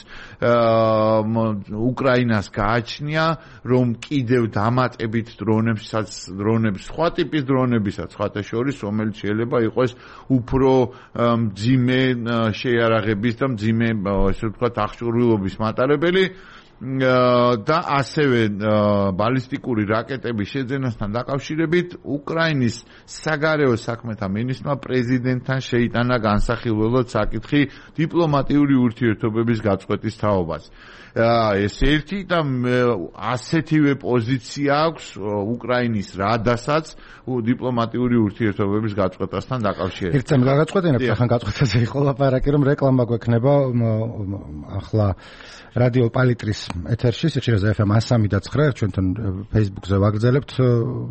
უკრაინას გააჩნია, რომ კიდევ დამატებით დრონებსაც, დრონებს, სხვა ტიპის დრონებისაც, სხვათა შორის, რომელიც შეიძლება იყოს უფრო მძიმე შეიარაღების და მძიმე, ესე ვთქვათ, აღჭურვილობის მატარებელი. და ასევე ბალისტიკური რაკეტების შეძენასთან დაკავშირებით უკრაინის საგარეო საქმეთა მინისტრმა პრეზიდენტთან შეიტანა განსახილველად საკითხი დიპლომატიური ურთიერთობების გაწყვეტის თაობას. ეს ერთი და ასეთივე პოზიცია აქვს უკრაინის რადასაც დიპლომატიური ურთიერთობების გაწყვეტასთან დაკავშირებით. ერთ წამს გაგაწყვეტინებთ, ახლა გაწყვეტაზე იყო ლაპარაკი, რომ რეკლამა გვექნება ახლა რადიო პალიტრის ეთერში, სიხშირეზე ეფ ემ one three point nine, ჩვენთან Facebook-ზე ვაგრძელებთ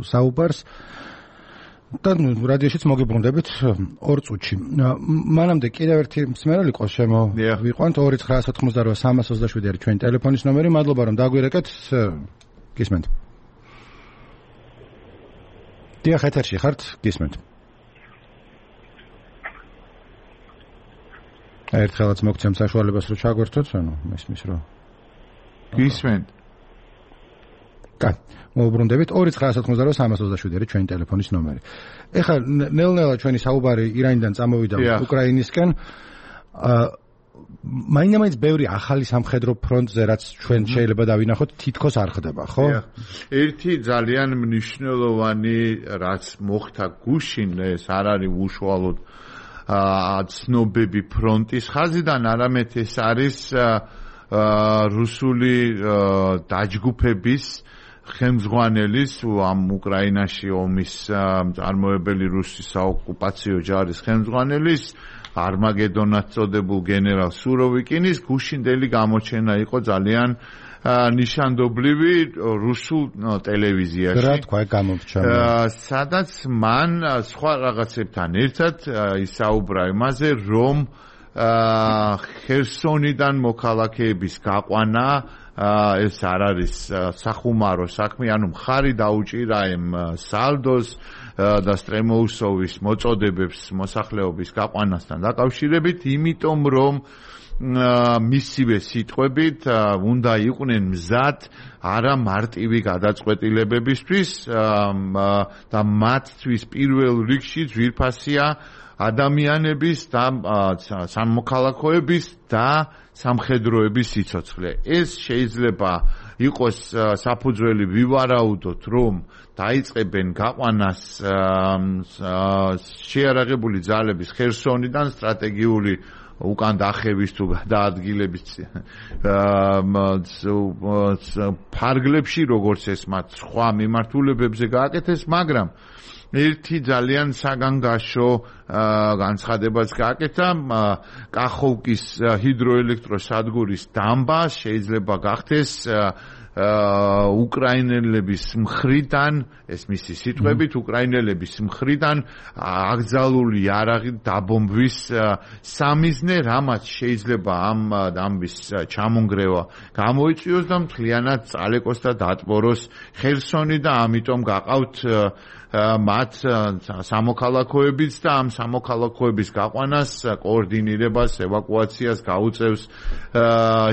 საუბარს და რადიოშიც მოგიბრუნდებით ორ წუთში. მანამდე კიდევ ერთი მსმენელი ყო შემოვიყვანთ ორი ცხრაას ოთხმოცდაოთხ სამას ოცდაშვიდი არის ჩვენი ტელეფონის ნომერი. მადლობა რომ დაგვირეკეთ. გისმენთ. დიახ, ეთერში ხართ, გისმენთ. ერთხელაც მოგცემ საშუალებას რომ ჩაგვერთოთ, ანუ მესმის რომ გისმენთ. კა, მოვუბრუნდებით ორი ცხრაას ოთხმოცდაოთხ სამას ოცდაშვიდი არის ჩვენი ტელეფონის ნომერი. ეხლა ნელ-ნელა ჩვენი საუბარი ირანიდან წამოვიდა უკრაინისკენ. მაინდა-მაინც ბევრი ახალი სამხედრო ფრონტზე, რაც ჩვენ შეიძლება დავინახოთ, თითქოს არ ხდება, ხო? ერთი ძალიან მნიშვნელოვანი, რაც მოხდა გუშინ, ეს არ არის უშუალოდ ცნობები ფრონტის ხაზიდან, არამედ ეს არის რუსული დაჯგუფების ხელმძღვანელის, ამ უკრაინაში ომის მწარმოებელი რუსი საოკუპაციო ჯარის ხელმძღვანელის, არმაგედონად წოდებულ გენერალ სუროვიკინის გუშინდელი გამოჩენა იყო ძალიან ნიშანდობლივი რუსულ ტელევიზიაში. რა თქვა გამომრჩა? სადაც მან სხვა რაღაცებთან ერთად ისაუბრა იმაზე, რომ ხერსონიდან მოქალაქეების გაყვანა ეს არ არის სახუმარო საქმე, ანუ მხარი დაუჭირა იმ სალდოს და სტრემოუსოვის მოწოდებებს მოსახლეობის გაყვანასთან დაკავშირებით, იმიტომ რომ მისივე სიტყვებით უნდა იყვნენ მზად არა მარტივი გადაწყვეტილებებისთვის და მათთვის პირველ რიგში ძვირფასია ადამიანების და სამოქალაქოების და სამხედროების სიცოცხლე. ეს შეიძლება იყოს საფუძველი ვივარაუდოთ, რომ დაიწყებენ გაყვანას შეიარაღებული ძალების ხერსონიდან სტრატეგიული უკან დახევის თუ გადაადგილების ფარგლებში, როგორც ეს მათ სხვა მიმართულებებზე გააკეთეს, მაგრამ ერთი ძალიან საგანგაშო განცხადებაც გააკეთა კახოვკის ჰიდროელექტროსადგურის დამბა შეიძლება გახდეს უკრაინელების მხრიდან, ეს მისი სიტყვებით, უკრაინელების მხრიდან აკრძალული იარაღით დაბომბვის სამიზნე, რამაც შეიძლება ამ დამბის ჩამონგრევა გამოიწვიოს და მთლიანად წალეკოს და დატბოროს ხერსონი და ამიტომ გაყავთ მათ სამოქალაქოებიც და ამ სამოქალაქოების გაყვანას, კოორდინირებას, ევაკუაციას გაუწევს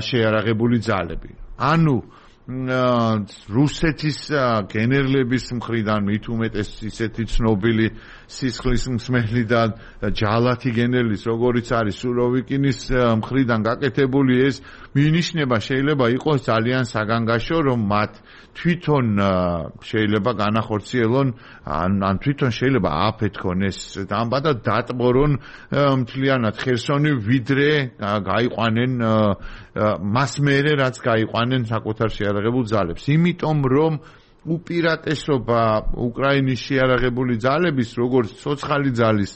შეიარაღებული ძალები. ანუ რუსეთის გენერლების მხრიდან მით უმეტეს ისეთი ცნობილი სისხლის მსმელი და ჯალათი გენერლის, როგორიც არის სუროვიკინის მხრიდან გაკეთებული ეს მინიშნება შეიძლება იყოს ძალიან საგანგაშო, რომ მათ თვითონ შეიძლება განახორციელონ ან თვითონ შეიძლება ააფეთქონ ეს დამბა და დატბორონ მთლიანად ხერსონი, ვიდრე გაიყვანენ მას მერე რაც გაიყვანენ საკუთარ შეიარაღებულ ძალებს. იმიტომ რომ უპირატესობა უკრაინის შეიარაღებული ძალების, როგორც ცოცხალი ძალის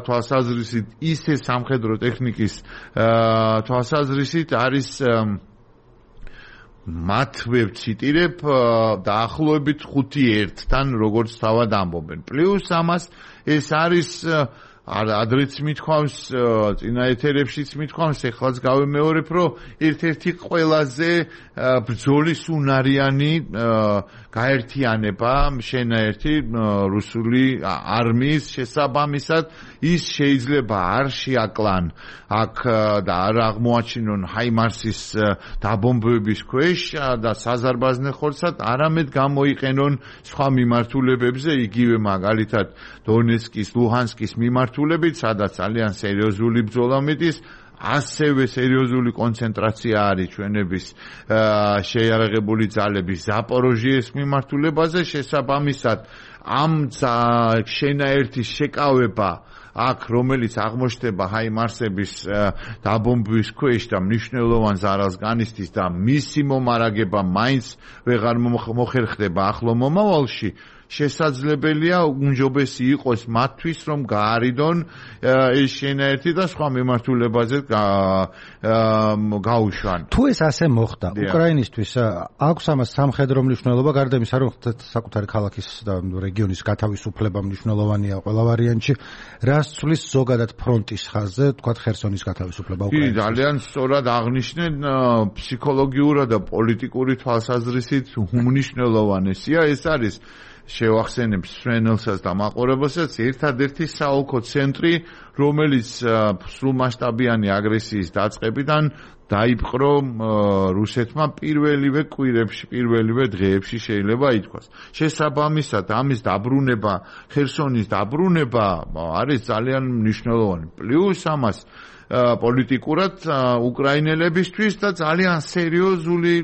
თვალსაზრისით, ისე სამხედრო ტექნიკის თვალსაზრისით არის მათვე ვციტირებ დაახლოებით ხუთი ერთთან, როგორც თავად ამბობენ. პლუს ამას ეს არის ადრეც მithქვავს, წინა ეთერებშიც მithქვავს, ეხლაც გავიმეორებ, რომ ერთ-ერთი ყველაზე ბრძოლის უნარიანი გაერთიანება შენაერთი რუსული არმიის შესაბამისად ის შეიძლება არ შეაკლან აქ და არ აღმოაჩინონ ჰაიმარსის დაბომბვების ქვეშ და საზარბაზნე ხორცად, არამედ გამოიყენონ სხვა მიმართულებებზე, იგივე მაგალითად დონეცკის, ლუჰანსკის მიმართულებით, სადაც ძალიან სერიოზული ბრძოლა მიდის, ასევე სერიოზული კონცენტრაცია არის ჩვენების შეიარაღებული ძალების ზაპოროჟიეს მიმართულებაზე, შესაბამისად ამ შენაერთის შეკავება აქ, რომელიც აღმოჩნდება ჰაიმარსების დაბომბვის ქვეშ და მნიშვნელოვან ზარალს განიცდის და მისი მომარაგება მაინც ვეღარ მოხერხდება ახლო მომავალში, შესაძლებელია უმჯობესი იყოს მათთვის, რომ გაარიდონ ეს შენაერთი და სხვა მიმართულებაზე გაუშვან. თუ ეს ასე მოხდა, უკრაინისთვის აქვს ამას სამხედრო მნიშვნელობა, გარდა იმისა, რომ საკუთარი ქალაქის და რეგიონის გათავისუფლება მნიშვნელოვანია ყველა ვარიანტში, რას ცვლის ზოგადად ფრონტის ხაზზე, თქვათ ხერსონის გათავისუფლება უკრაინაში? ძალიან სწორად აღნიშნენ, ფსიქოლოგიურად და პოლიტიკური თვალსაზრისით უმნიშვნელოვანესია ეს არის. შევახსენებ სვენელსაც და მაყურებელსაც, ერთადერთი საოლქო ცენტრი, რომელიც სრულმასშტაბიანი აგრესიის დაწყებიდან დაიპყრო რუსეთმა პირველივე კვირებში, პირველივე დღეებში შეიძლება ითქვას. შესაბამისად, ამის დაბრუნება, ხერსონის დაბრუნება არის ძალიან მნიშვნელოვანი. პლუს ამას პოლიტიკურად უკრაინელებისთვის და ძალიან სერიოზული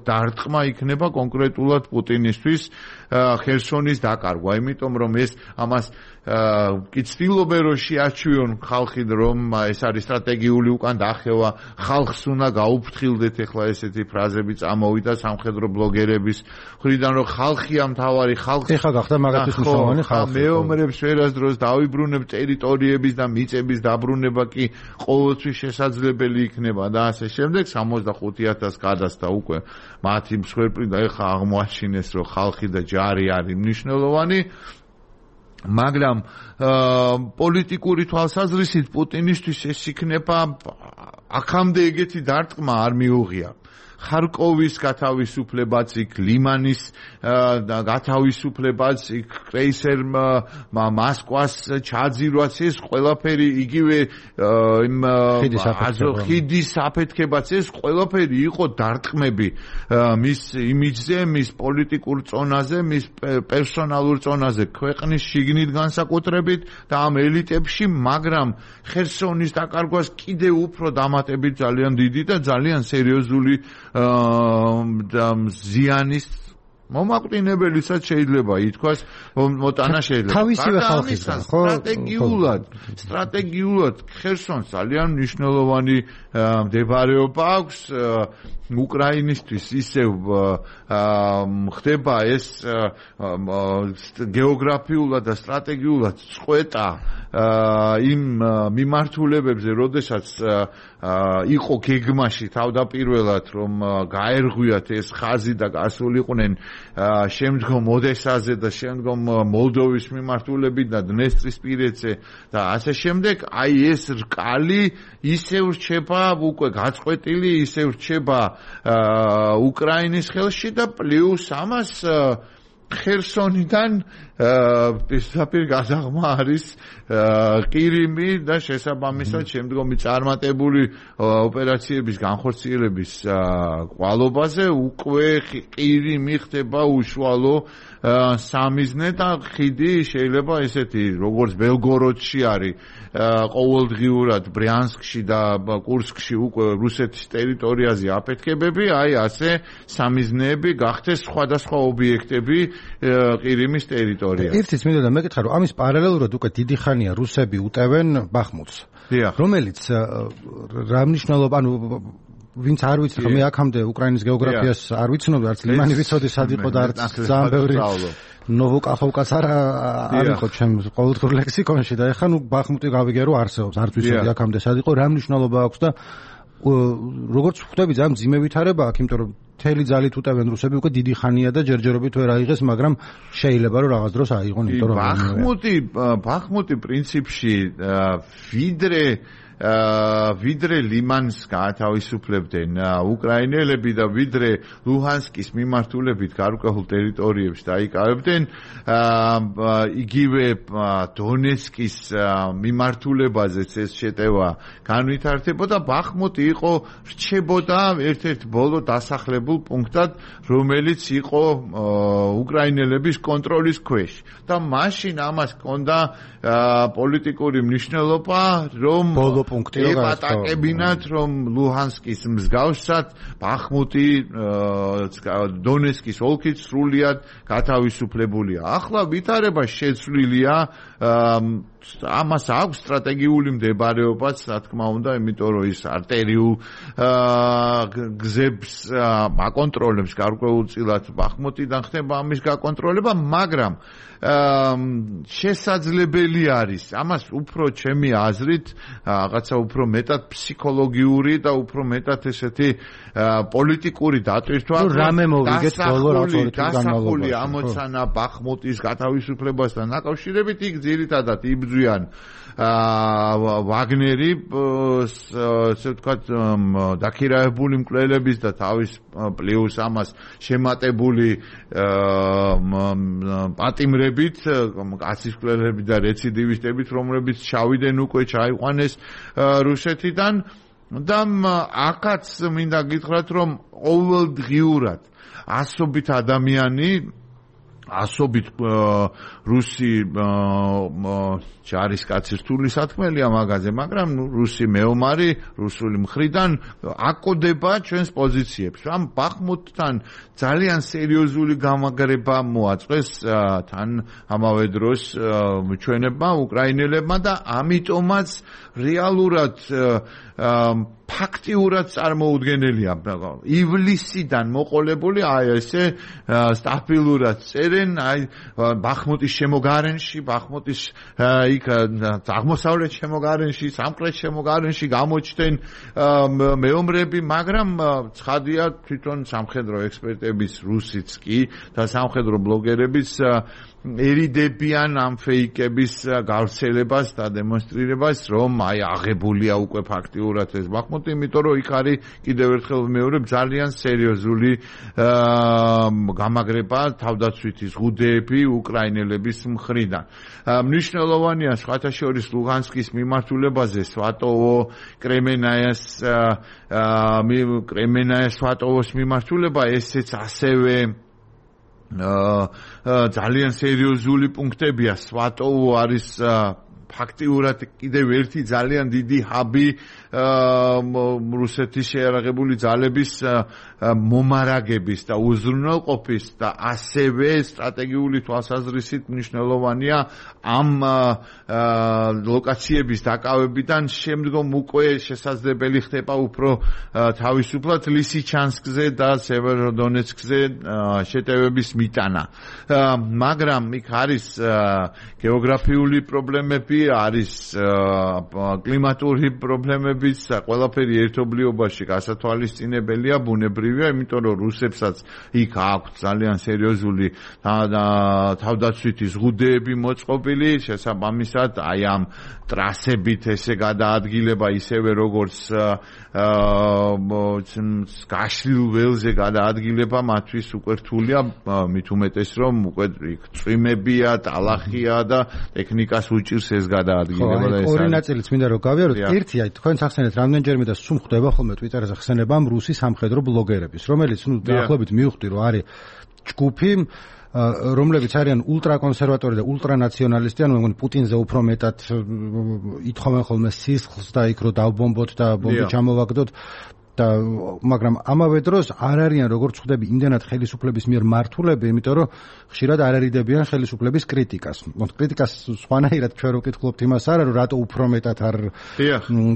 დარტყმა იქნება კონკრეტულად პუტინისთვის ხერსონის დაკარგვა, იმიტომ რომ ეს ამას კი ცდილობენ რომ შეაჩვიონ ხალხი, რომ ეს არის სტრატეგიული უკან დახევა, ხალხს უნდა გაუფრთხილდეთ, ეხლა ესეთი ფრაზები წამოვიდა სამხედრო ბლოგერების მხრიდან, რომ ხალხია მთავარი, ხალხი ეხლა გახდა მაგათთვის მნიშვნელოვანი ხალხი. მეომრებს ვერასდროს დავიბრუნებ, ტერიტორიების და მიწების დაბრუნება კი ყოველთვის შესაძლებელი იქნება და ასე შემდეგ. სამოცდახუთი ათასი გადასცა უკვე მათი მსხვერპლი და ეხლა აღმოაჩინეს, რომ ხალხი და ჯარი არის მნიშვნელოვანი. მაგრამ პოლიტიკური თვალსაზრისით პუტინისთვის ეს იქნება აქამდე ეგეთი დარტყმა არ მიუღია. ხარკოვის გათავისუფლებაც, იქ ლიმანის გათავისუფლებაც, იქ კრეისერ მოსკვას ჩაძირვაც, ეს ყველაფერი იგივე იმ ხიდის აფეთქებაც, ეს ყველაფერი იყო დარტყმები მის იმიჯზე, მის პოლიტიკურ წონაზე, მის პერსონალურ წონაზე, ქვეყნის შიგნით განსაკუთრებით და ამ ელიტებში, მაგრამ ხერსონის დაკარგვას კიდევ უფრო დამატებით ძალიან დიდი და ძალიან სერიოზული ზიანის მომაკვდინებელისაც შეიძლება ითქვას, მოტანა შეიძლება. თავისივე ხალხისგან, ხო? სტრატეგიულად, სტრატეგიულად ხერსონს ძალიან მნიშვნელოვანი მდებარეობა აქვს უკრაინისთვის, ისევ ხდება ეს გეოგრაფიულად და სტრატეგიულად წყვეტა იმ მიმართულებებზე, როდესაც იყო გეგმაში თავდაპირველად, რომ გაერღვიათ ეს ხაზი და გასულიყვნენ შემდგომ ოდესაზე და შემდგომ მოლდოვის მიმართულებით და დნესტრისპირეთზე და ასე შემდეგ, აი ეს რკალი ისევ რჩება უკვე გაწყვეტილი, ისევ რჩება უკრაინის ხელში და პლუს ამას ხერსონიდან პირდაპირ გაზაღმა არის ყირიმი და შესაბამისად შემდგომი წარმატებული ოპერაციების განხორციელების ყვალობაზე უკვე ყირიმი ხდება უშუალო სამიზნე და ხიდი შეიძლება ესეთი როგორც ბელგოროდში არის ყოველდღიურად ბრიანსკში და კურსკში უკვე რუსეთის ტერიტორიაზე აფეთქებები, აი ასე სამიზნეები გახდეს სხვადასხვა ობიექტები ყირიმის ტერიტორიაზე. ერთიც მინდა და მეკითხა, რომ ამის პარალელურად უკვე დიდი ხანია რუსები უტევენ ბახმუტს, რომელიც რა მნიშვნელობა, ანუ ვინც არ ვიცი, ხომ მე აქამდე უკრაინის გეოგრაფიას არ ვიცნობდი, არც ლიმანი ვიცოდი სად იყო და არც ძალიან ბევრი ნოვოკახოვკაც არ არ იყო ჩემს ყოველდღიურ ლექსიკონში და ეხლა ნუ ბახმუტი გავიგე რომ არსებობს, არც ვიცოდი აქამდე სად იყო, რა მნიშვნელობა აქვს და როგორც ხვდები ძალიან მძიმე ვითარება აქვს, იმიტომ რომ მთელი ძალით უტევენ რუსები უკვე დიდი ხანია და ჯერჯერობით ვერ აიღეს, მაგრამ შეიძლება რომ რაღაც დროს აიღონ, იმიტომ რომ ბახმუტი ბახმუტი პრინციპში ვიდრე ვიდრე ლიმანს გაათავისუფლებდნენ უკრაინელები და ვიდრე ლუჰანსკის მიმართულებით გარკვეულ ტერიტორიებს დაიკავებდნენ, იგივე დონეცკის მიმართულებაზეც ეს შეტევა განვითარდებოდა, ბახმუტი იყო რჩებოდა ერთ-ერთ ბოლო დასახლებულ პუნქტად, რომელიც იყო უკრაინელების კონტროლის ქვეშ და მაშინ ამას ჰქონდა პოლიტიკური მნიშვნელობა, რომ ეპატაკებინათ, რომ ლუჰანსკის მსგავსად ბახმუტი დონეცკის ოლქით სრულიად გათავისუფლებულია. ახლა ვითარება შეცვლილია, ამას აქვს სტრატეგიული მდებარეობაც, რა თქმა უნდა, იმიტომ რომ ის არტერიულ გზებს აკონტროლებს გარკვეულწილად ბახმუტიდან ხდება ამის გაკონტროლება, მაგრამ შესაძლებელი არის ამას უფრო ჩემი აზრით რაღაცა უფრო მეტად ფსიქოლოგიური და უფრო მეტად ესეთი პოლიტიკური დატვირთვა, რამე მოვიგეთ ბოლო რა თქმა უნდა განმავლობაში ამოცანა ბახმუტის გათავისუფლებასთან დაკავშირებით, იქ ძირითადად იბრძვიან ვაგნერი, ასე ვთქვათ, დაქირავებული მკვლელების და თავის პლუს ამას შემატებული პატიმრებით, კაცის მკვლელები და რეციდივისტებით, რომლებიც ჩავიდნენ უკვე ჩაიყვანეს რუსეთიდან და აქაც მინდა გითხრათ, რომ ყოველდღიურად ასობით ადამიანი ასობით რუსი ჯარისკაცი რთული სათქმელია მაგაზე, მაგრამ რუსი მეომარი რუსული მხრიდან აკოდება ჩვენს პოზიციებს. ამ ბახმუტთან ძალიან სერიოზული გამაგრება მოაწყვეს თან ამავე დროს ჩვენებმა უკრაინელებმა და ამიტომაც რეალურად ფაქტიურად წარმოუდგენელია ივლისიდან მოყოლებული აი ესე სტაბილურად წერენ აი ბახმუტის შემოგარენში, ბახმუტის იქ აღმოსავლეთ შემოგარენში, სამხრეთ შემოგარენში გამოჩნდნენ მეომრები, მაგრამ ცხადია თვითონ სამხედრო ექსპერტების რუსიც კი და სამხედრო ბლოგერების ერიდებიან ამ ფეიკების გავრცელებას და დემონსტრირებას, რომ აი აღებულია უკვე ფაქტიურად ეს ბახმუტი, იმიტომ რომ იქ არის კიდევ ერთხელ მეორე ძალიან სერიოზული გამაგრება თავდაცვითი ზღუდეები უკრაინელების მხრიდან. მნიშვნელოვანია სხვათა შორის ლუგანსკის მიმართულებაზე სვატოვო კრემენაიას კრემენაიას სვატოვოს მიმართულება ესეც ასევე ძალიან სერიოზული პუნქტებია. სვატოვო არის ფაქტიურად კიდევ ერთი ძალიან დიდი ჰაბი რუსეთის შეიარაღებული ძალების მომარაგების და უზრუნველყოფის და ასევე სტრატეგიული თვალსაზრისით მნიშვნელოვანია ამ ლოკაციების დაკავებიდან შემდგომ უკვე შესაძლებელი ხდება უფრო თავისუფლად ლისიჩანსკზე და სევეროდონეცკზე შეტევების მიტანა. მაგრამ იქ არის გეოგრაფიული პრობლემები, არის კლიმატური პრობლემები, ყველაფერი ერთობლიობაში გასათვალისწინებელია, ბუნებრივია, იმიტომ რომ რუსებსაც იქ აქვს ძალიან სერიოზული თავდაცვითი ზღუდეები მოწყობილი, შესაბამისად აი ამ ტრასებით ესე გადაადგილება ისევე როგორც გაშლილ ველზე გადაადგილება მათთვის უკვე რთულია, მით უმეტეს რომ უკვე წვიმებია, ტალახია და ტექნიკას უჭირს ეს გადაადგილება და ეს ორი ნაწილიც მინდა რომ გავიაროთ. ერთი აი თქვენ სახსენეთ რამდენჯერმე და სულ ხდება ხოლმე ტვიტერზე ხსენება ამ რუსი სამხედრო ბლოგერების, რომელიც ნუ დაახლოებით მივხვდი რომ არის ჯგუფი, რომლებიც არიან ულტრაკონსერვატორი და ულტრანაციონალისტი, ანუ მეგონი პუტინზე უფრო მეტად ითხოვენ ხოლმე სისხლს და იქ რომ დავბომბოთ და ბომბი ჩამოვაგდოთ. და მაგრამ ამავე დროს არ არიან როგორც ხვდები იმდენად ხელისუფლების მიერ მართულები, იმიტომ რომ ხშირად არ არიდებიან ხელისუფლების კრიტიკას. მოთ კრიტიკას სხვანაირად ჩვენ რო ვკითხულობთ იმას არა რომ რატო უფრო მეტად არ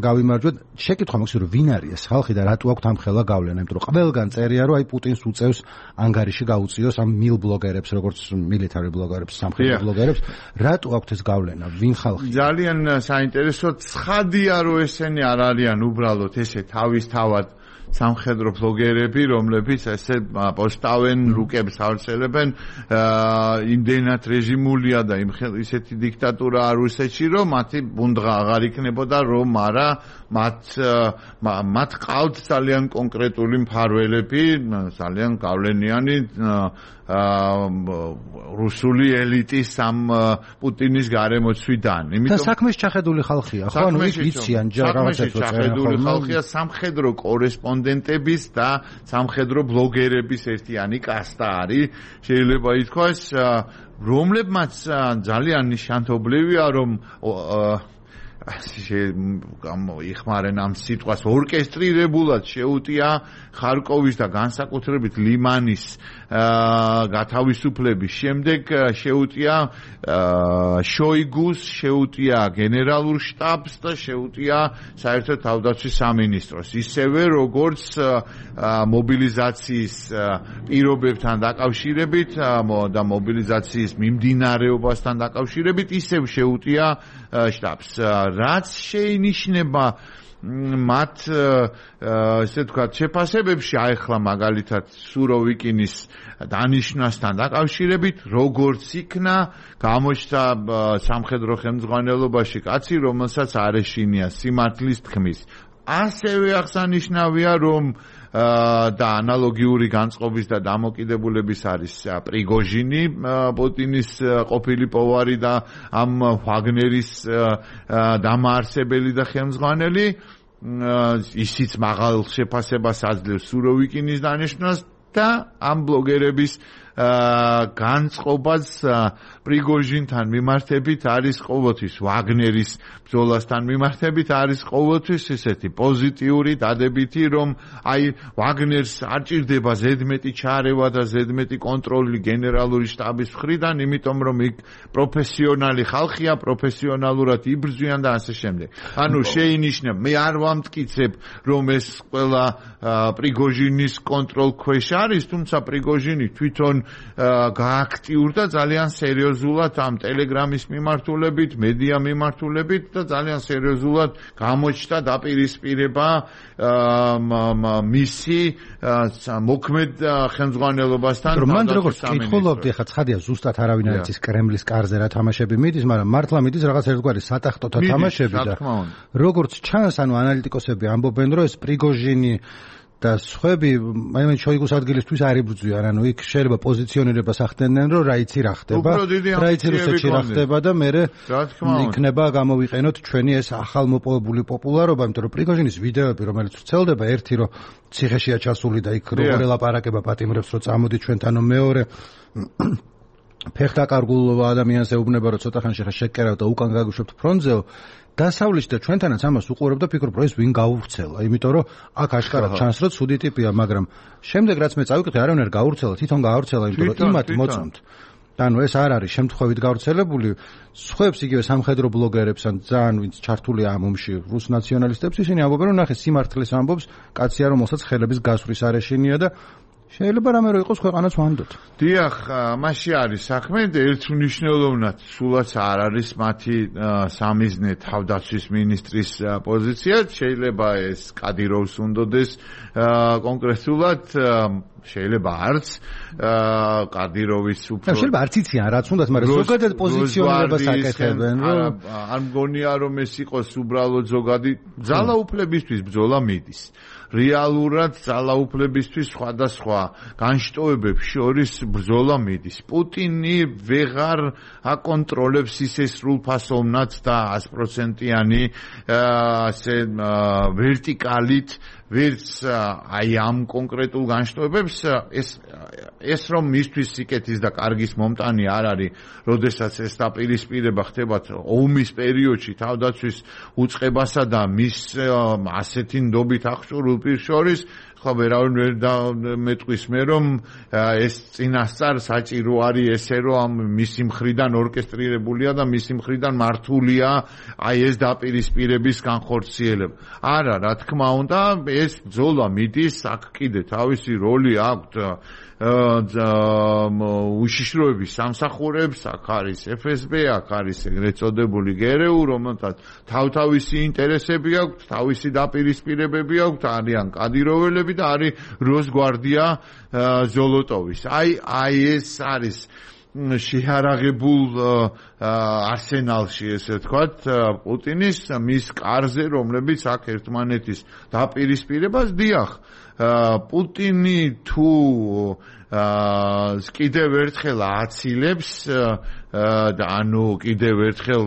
გავიმარჯვოთ. შეკითხვა მაქვს რომ ვინ არის ეს ხალხი და რატო აქვს ამ ხელა გავლენა, იმიტომ რომ ყველგან წერია რომ აი პუტინს უწევს ანგარიში გაუწიოს ამ მილ ბლოგერებს, როგორც მილიტარი ბლოგერებს, სამხედრო ბლოგერებს, რატო აქვს ეს გავლენა, ვინ ხალხი? ძალიან საინტერესო. ცხადია რომ ესენი არ არიან უბრალოდ ესე თავისთავად სამხედრო ბლოგერები, რომლებიც ესე პოსტავენ, რუკებს ავრცელებენ, იმდენად რეჟიმულია და ისეთი დიქტატურა არ რუსეთში, რომ მათი ბუნდღა აღარ იქნებოდა, რომ არა მათ მათ ყავთ ძალიან კონკრეტული მფარველები, ძალიან გავლენიანი რუსული ელიტის ამ პუტინის გარემოცვიდან. იმიტომ და საქმეში ჩახედული ხალხია, ხო? ანუ იციან რაღაცებს ჩახედული ხალხია, სამხედრო კორესპონდენტების და სამხედრო ბლოგერების ერთიანი კასტა არის, შეიძლება ითქვას, რომლებმაც ძალიან ნიშანთობლივია, რომ იხმარენ ამ სიტყვას ორკესტრირებულად შეუტია ხარკოვის და განსაკუთრებით ლიმანის გათავისუფლების შემდეგ შეუტია შოიგუს, შეუტია გენერალურ შტაბს და შეუტია საერთო თავდაცვის სამინისტროს, ისევე როგორც მობილიზაციის პირობებთან დაკავშირებით და მობილიზაციის მიმდინარეობასთან დაკავშირებით ისევ შეუტია შტაბს. რაც შეინიშნება მათ ესე ვთქვათ შეფასებებში, აი ახლა მაგალითად სუროვიკინის დანიშნვასთან დაკავშირებით, როგორც იქნა გამოჩნდა სამხედრო ხელმძღვანელობაში კაცი, რომელსაც არ ეშინია სიმართლის თქმის. ასევე აღსანიშნავია, რომ და ანალოგიური განწყობის და დამოკიდებულების არის პრიგოჟინი, პუტინის ყოფილი პოვარი და ამ ვაგნერის დამაარსებელი და ხელმძღვანელი, ისიც მაღალ შეფასებას აძლევს სუროვიკინის დანიშვნას და ამ ბლოგერების განწყობას პრიგოჟინთან მიმართებით არის ყოველთვის, ვაგნერის ბრძოლასთან მიმართებით არის ყოველთვის ესეთი პოზიტიური დადებითი, რომ აი ვაგნერს არ ჭირდება ზედმეტი ჩარევა და ზედმეტი კონტროლი გენერალური შტაბის მხრიდან, იმიტომ რომ იქ პროფესიონალი ხალხია, პროფესიონალურად იბრძვიან და ასე შემდეგ. ანუ შეინიშნება, მე არ ვამტკიცებ, რომ ეს ყველა პრიგოჟინის კონტროლ ქვეშ არის, თუმცა პრიგოჟინი თვითონ გააქტიურდა ძალიან სერიოზულად ამ ტელეგრამის მიმართულებით, მედია მიმართულებით და ძალიან სერიოზულად გამოჩნდა დაპირისპირება მისი მოქმედ ხელმძღვანელობასთან. მან როგორც კითხულობდი, ხა ცხადია ზუსტად არავინ არ იცის კრემლის კარზე რა თამაშები მიდის, მაგრამ მართლა მიდის რაღაც ერთგვარი სატახტოთა თამაშები და როგორც ჩანს, ანუ ანალიტიკოსები ამბობენ, რომ ეს პრიგოჟინი და სხვები, აი მე შოიგუს ადგილისთვის არ იბრძვიან, ანუ იქ შეიძლება პოზიციონირებას ახდენენ, რომ რა იცი რა ხდება, რა იცი რუსეთში რა ხდება და მე იქნება გამოვიყენოთ ჩვენი ეს ახალმოპოვებული პოპულარობა, იმიტომ რომ პრიგოჟინის ვიდეოები, რომელიც ვრცელდება, ერთი რომ ციხეშია ჩასული და იქ როგორ ელაპარაკება პატიმრებს, რომ წამოდი ჩვენთან, მეორე ფეხდაკარგულ ადამიანს ეუბნება, რომ ცოტა ხანში ხა შეკერავ და უკან გაგუშვებთ ფრონტზეო. დასავლეთში და ჩვენთანაც ამას უყურებ და ფიქრობ, რომ ეს ვინ გაუვრცელა, იმიტომ რომ აქ აშკარად ჩანს, რომ ცუდი ტიპია, მაგრამ შემდეგ რაც მე წავიკითხე, არავინ არ გაუვრცელა, თვითონ გაავრცელა, იმიტომ რომ იმათ მოწონთ. ანუ ეს არ არის შემთხვევით გავრცელებული, სხვებს იგივე სამხედრო ბლოგერებს ან ძალიან ვინც ჩართულია ამ ომში რუს ნაციონალისტებს, ისინი ამბობენ, რომ ნახე სიმართლეს ამბობს, კაცია, რომელსაც ხელების გასვრის არ ეშინია და შეიძლება რამე რო იყოს ქვეყანაც ვანდოთ. დიახ, მასში არის საქმე, ერთ მნიშვნელოვნად სულაც არ არის მათი სამიზნე თავდაცვის მინისტრის პოზიცია, შეიძლება ეს კადიროვს უნდოდეს კონკრეტულად შეიძლება არც კადიროვის უფრო შეიძლება არც იციან რაც უნდათ, მაგრამ ზოგადად პოზიციონირებას აკეთებენ, რომ არ მგონია რომ ეს იყოს უბრალოდ ზოგადი ძალაუფლებისთვის ბრძოლა მიდის. რეალურად ძალაუფლებისთვის სხვადასხვა განშტოებებს შორის ბრძოლა მიდის. პუტინი ვეღარ აკონტროლებს ისე სრულფასოვნად და sto პროცენტიანი ასე ვერტიკალით ვერც აი ამ კონკრეტულ განშტოებებს ეს ეს რომ მისთვის სიკეთის და კარგის მომტანი არ არის, როდესაც ეს დაპირისპირება ხდება ომის პერიოდში თავდაცვის უწყებასა და მის ასეთი ნდობით აღჭურვილ პირს შორის, ხო ვერავინ ვერ მეტყვის მე რომ ეს წინასწარ საჭირო არის ესე რომ ამ მისი მხრიდან ორკესტრირებულია და მისი მხრიდან მართულია აი ეს დაპირისპირების განხორციელება. არა, რა თქმა უნდა, ეს ბრძოლა მიდის, აქ კიდე თავისი როლი აქვს უშიშროების სამსახურებს, აქ არის ეფ ეს ბე, აქ არის ეგრეთ წოდებული გერეუ, რომელთაც თავთავისი ინტერესები აქვს, თავისი დაპირისპირებები აქვს, არიან კადიროველები და არის როსგვარდია ზოლოტოვის. აი აი ეს არის შეარაღებულ არსენალში, ესე ვთქვათ, პუტინის მის კარზე, რომლებიც აქ ერთმანეთის დაპირისპირებას დიახ, პუტინი თუ კიდევ ერთხელ აცილებს და ანუ კიდევ ერთხელ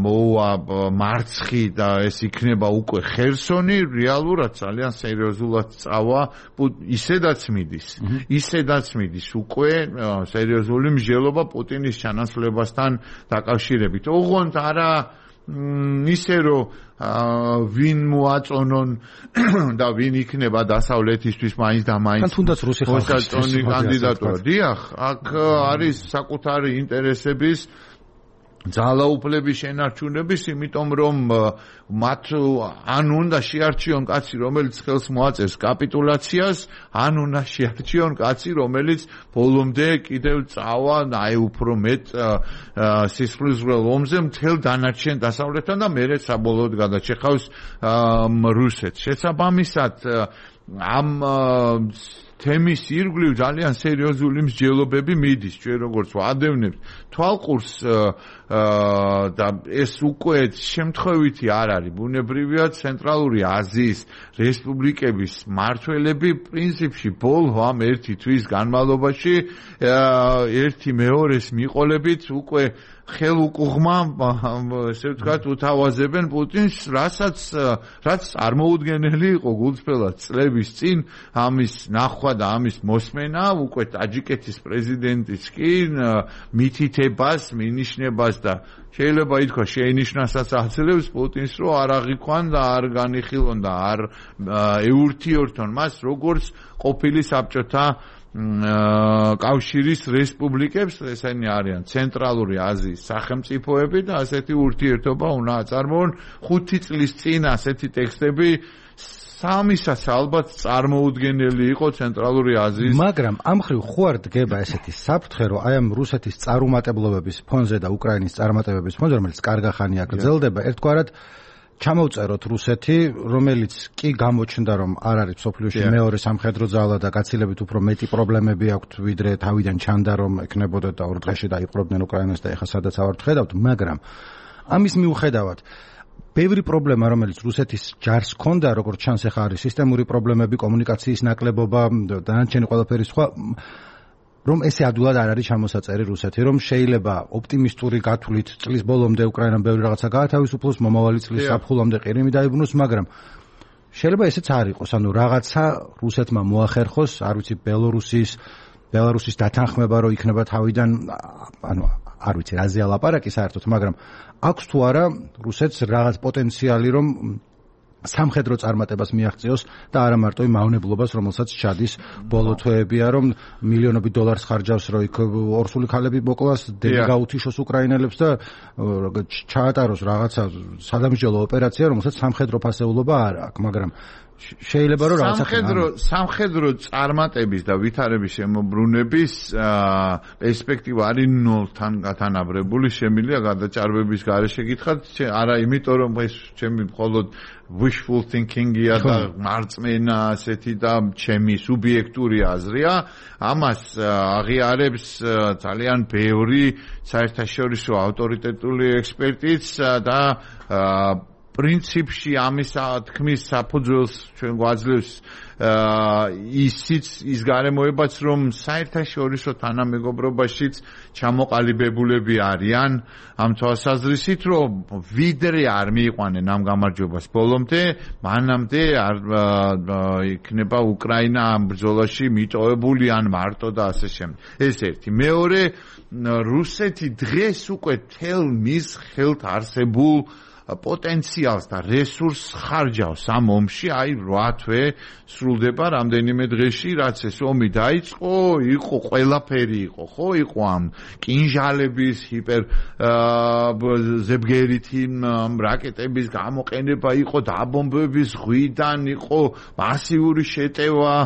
მოვა მარცხი და ეს იქნება უკვე ხერსონი, რეალურად ძალიან სერიოზულად წავა, ისედაც მიდის, ისედაც მიდის უკვე სერიოზული მსჯელობა პუტინის ჩანაცვლებასთან დაკავშირებით. ოღონდ არა ისე რომ ვინ მოაწონონ და ვინ იქნება დასავლეთისთვის მაინც და მაინც თუნდაც რუსი ხალხის კანდიდატურა. დიახ, აქ არის საკუთარი ინტერესების ძალაუფლების შენარჩუნების, იმიტომ რომ მათ ან უნდა შეარჩიონ კაცი, რომელიც ხელს მოაწერს კაპიტულაციას, ან უნდა შეარჩიონ კაცი, რომელიც ბოლომდე კიდევ წავა აი უფრო მეტ სისხლისღვრელ ომზე მთელ დანარჩენ დასავლეთთან და მერე საბოლოოდ გადაჭეხავს რუსეთს. შესაბამისად ამ თემის ირგვლივ ძალიან სერიოზული მსჯელობები მიდის. ჩვენ როგორც ვადევნებთ თვალყურს და ეს უკვე შემთხვევითი არ არის. ბუნებრივია ცენტრალური აზიის რესპუბლიკების მმართველები პრინციპში ბოლო ამ ერთი თვის განმავლობაში ერთი მეორეს მიყოლებით უკვე ხელუკუღმა, ესე ვთქვათ, უთავაზებენ პუტინს, რასაც რაც წარმოუდგენელი იყო გულწრფელად წლების წინ ამის ნახვა და ამის მოსმენა, უკვე ტაჯიკეთის პრეზიდენტიც კი მითითებას, მინიშნებას და შეიძლება ითქვა შეინიშნასაც აძლევს პუტინს, რომ არ აღიქვან და არ განიხილონ და არ ეურთიორთონ მას როგორც ყოფილი საბჭოთა კავშირის რესპუბლიკებს, ესენი არიან ცენტრალური აზიის სახელმწიფოები და ასეთი ურთიერთობა უნდა აწარმოონ. ხუთი წლის წინ ასეთი ტექსტები სამისაც ალბათ წარმოუდგენელი იყო ცენტრალური აზიის. მაგრამ ამ ხრივ ხო არ დგება ესეთი საფრთხე, რომ აი ამ რუსეთის წარუმატებლობების ფონზე და უკრაინის წარმატებების ფონზე, რომელიც კარგა ხანია გრძელდება, ერთგვარად ჩამოვწეროთ რუსეთი, რომელიც კი გამოჩნდა, რომ არ არის სოფლიოში მეორე სამხედრო ძალა და გაცილებით უფრო მეტი პრობლემები აქვთ, ვიდრე თავიდან ჩანდა, რომ ექნებოდა და ორ დღეში დაიპყრობდნენ უკრაინას და ეხლა სადაც ავართ ხედავთ, მაგრამ ამის მიუხედავად ბევრი პრობლემა, რომელიც რუსეთის ჯარს ჰქონდა, როგორც ჩანს, ახლა არის სისტემური პრობლემები, კომუნიკაციის ნაკლებობა, დანარჩენი ყველაფერი სხვა, რომ ესე ადვილად არ არის ჩამოსაწერი რუსეთი, რომ შეიძლება ოპტიმისტური გათვლით წლის ბოლომდე უკრაინამ ბევრი რაღაცა გაათავისუფლოს, მომავალი წლის საფხულამდე ყირიმი დაიბრუნოს, მაგრამ შეიძლება ესეც არ იყოს, ანუ რაღაცა რუსეთმა მოახერხოს, არ ვიცი, ბელორუსის, ბელარუსის დათანხმება, რომ იქნება თავიდან, ანუ არ ვიცი, რაზე ალაპარაკი საერთოდ, მაგრამ აქვს თუ არა რუსეთს რაღაც პოტენციალი, რომ სამხედრო წარმატებას მიაღწიოს და არა მარტო იმ მავნებლობას, რომელსაც ჩადის ბოლო თვეებია, რომ მილიონობით დოლარს ხარჯავს, რომ იქ ორსული ქალები მოკლას, დები გაუთიშოს უკრაინელებს და ჩაატაროს რაღაცა სადამსჯელო ოპერაცია, რომელსაც სამხედრო ფასეულობა არ აქვს, მაგრამ შეიძლება რომ რაღაცა სამხედრო სამხედრო წარმატების და ვითარების შემოbrunების პერსპექტივა არის ნულთან გათანაბრებული, შემიძლია გადაჭარბების გარეშე გითხრათ, არა იმიტომ რომ ეს ჩემი მხოლოდ wishful thinking-ია და მარწმენა ასეთი და ჩემი სუბიექტური აზრია, ამას აღიარებს ძალიან ბევრი საერთაშორისო ავტორიტეტული ექსპერტიც და პრინციპში ამის თქმის საფუძველს ჩვენ გვაძლევს ისიც ის გარემოებაც, რომ საერთაშორისო თანამეგობრობაშიც ჩამოყალიბებულები არიან ამ თვალსაზრისით, რომ ვიდრე არ მიიყვანენ ამ გამარჯვებას ბოლომდე, მანამდე არ იქნება უკრაინა ამ ბრძოლაში მიტოვებული ან მარტო და ასე შემდეგ. ეს ერთი. მეორე, რუსეთი დღეს უკვე თელ მის ხელთ არსებულ პოტენციალს და რესურსს ხარჯავს ამ ომში, აი რვა თვე სრულდება რამდენიმე დღეში, რაც ეს ომი დაიწყო, იყო ყველაფერი იყო, ხო, იყო ამ კინჟალების ჰიპერ ზებგერითი რაკეტების გამოყენება, იყო დაბომბების ზღვიდან, იყო მასიური შეტევა,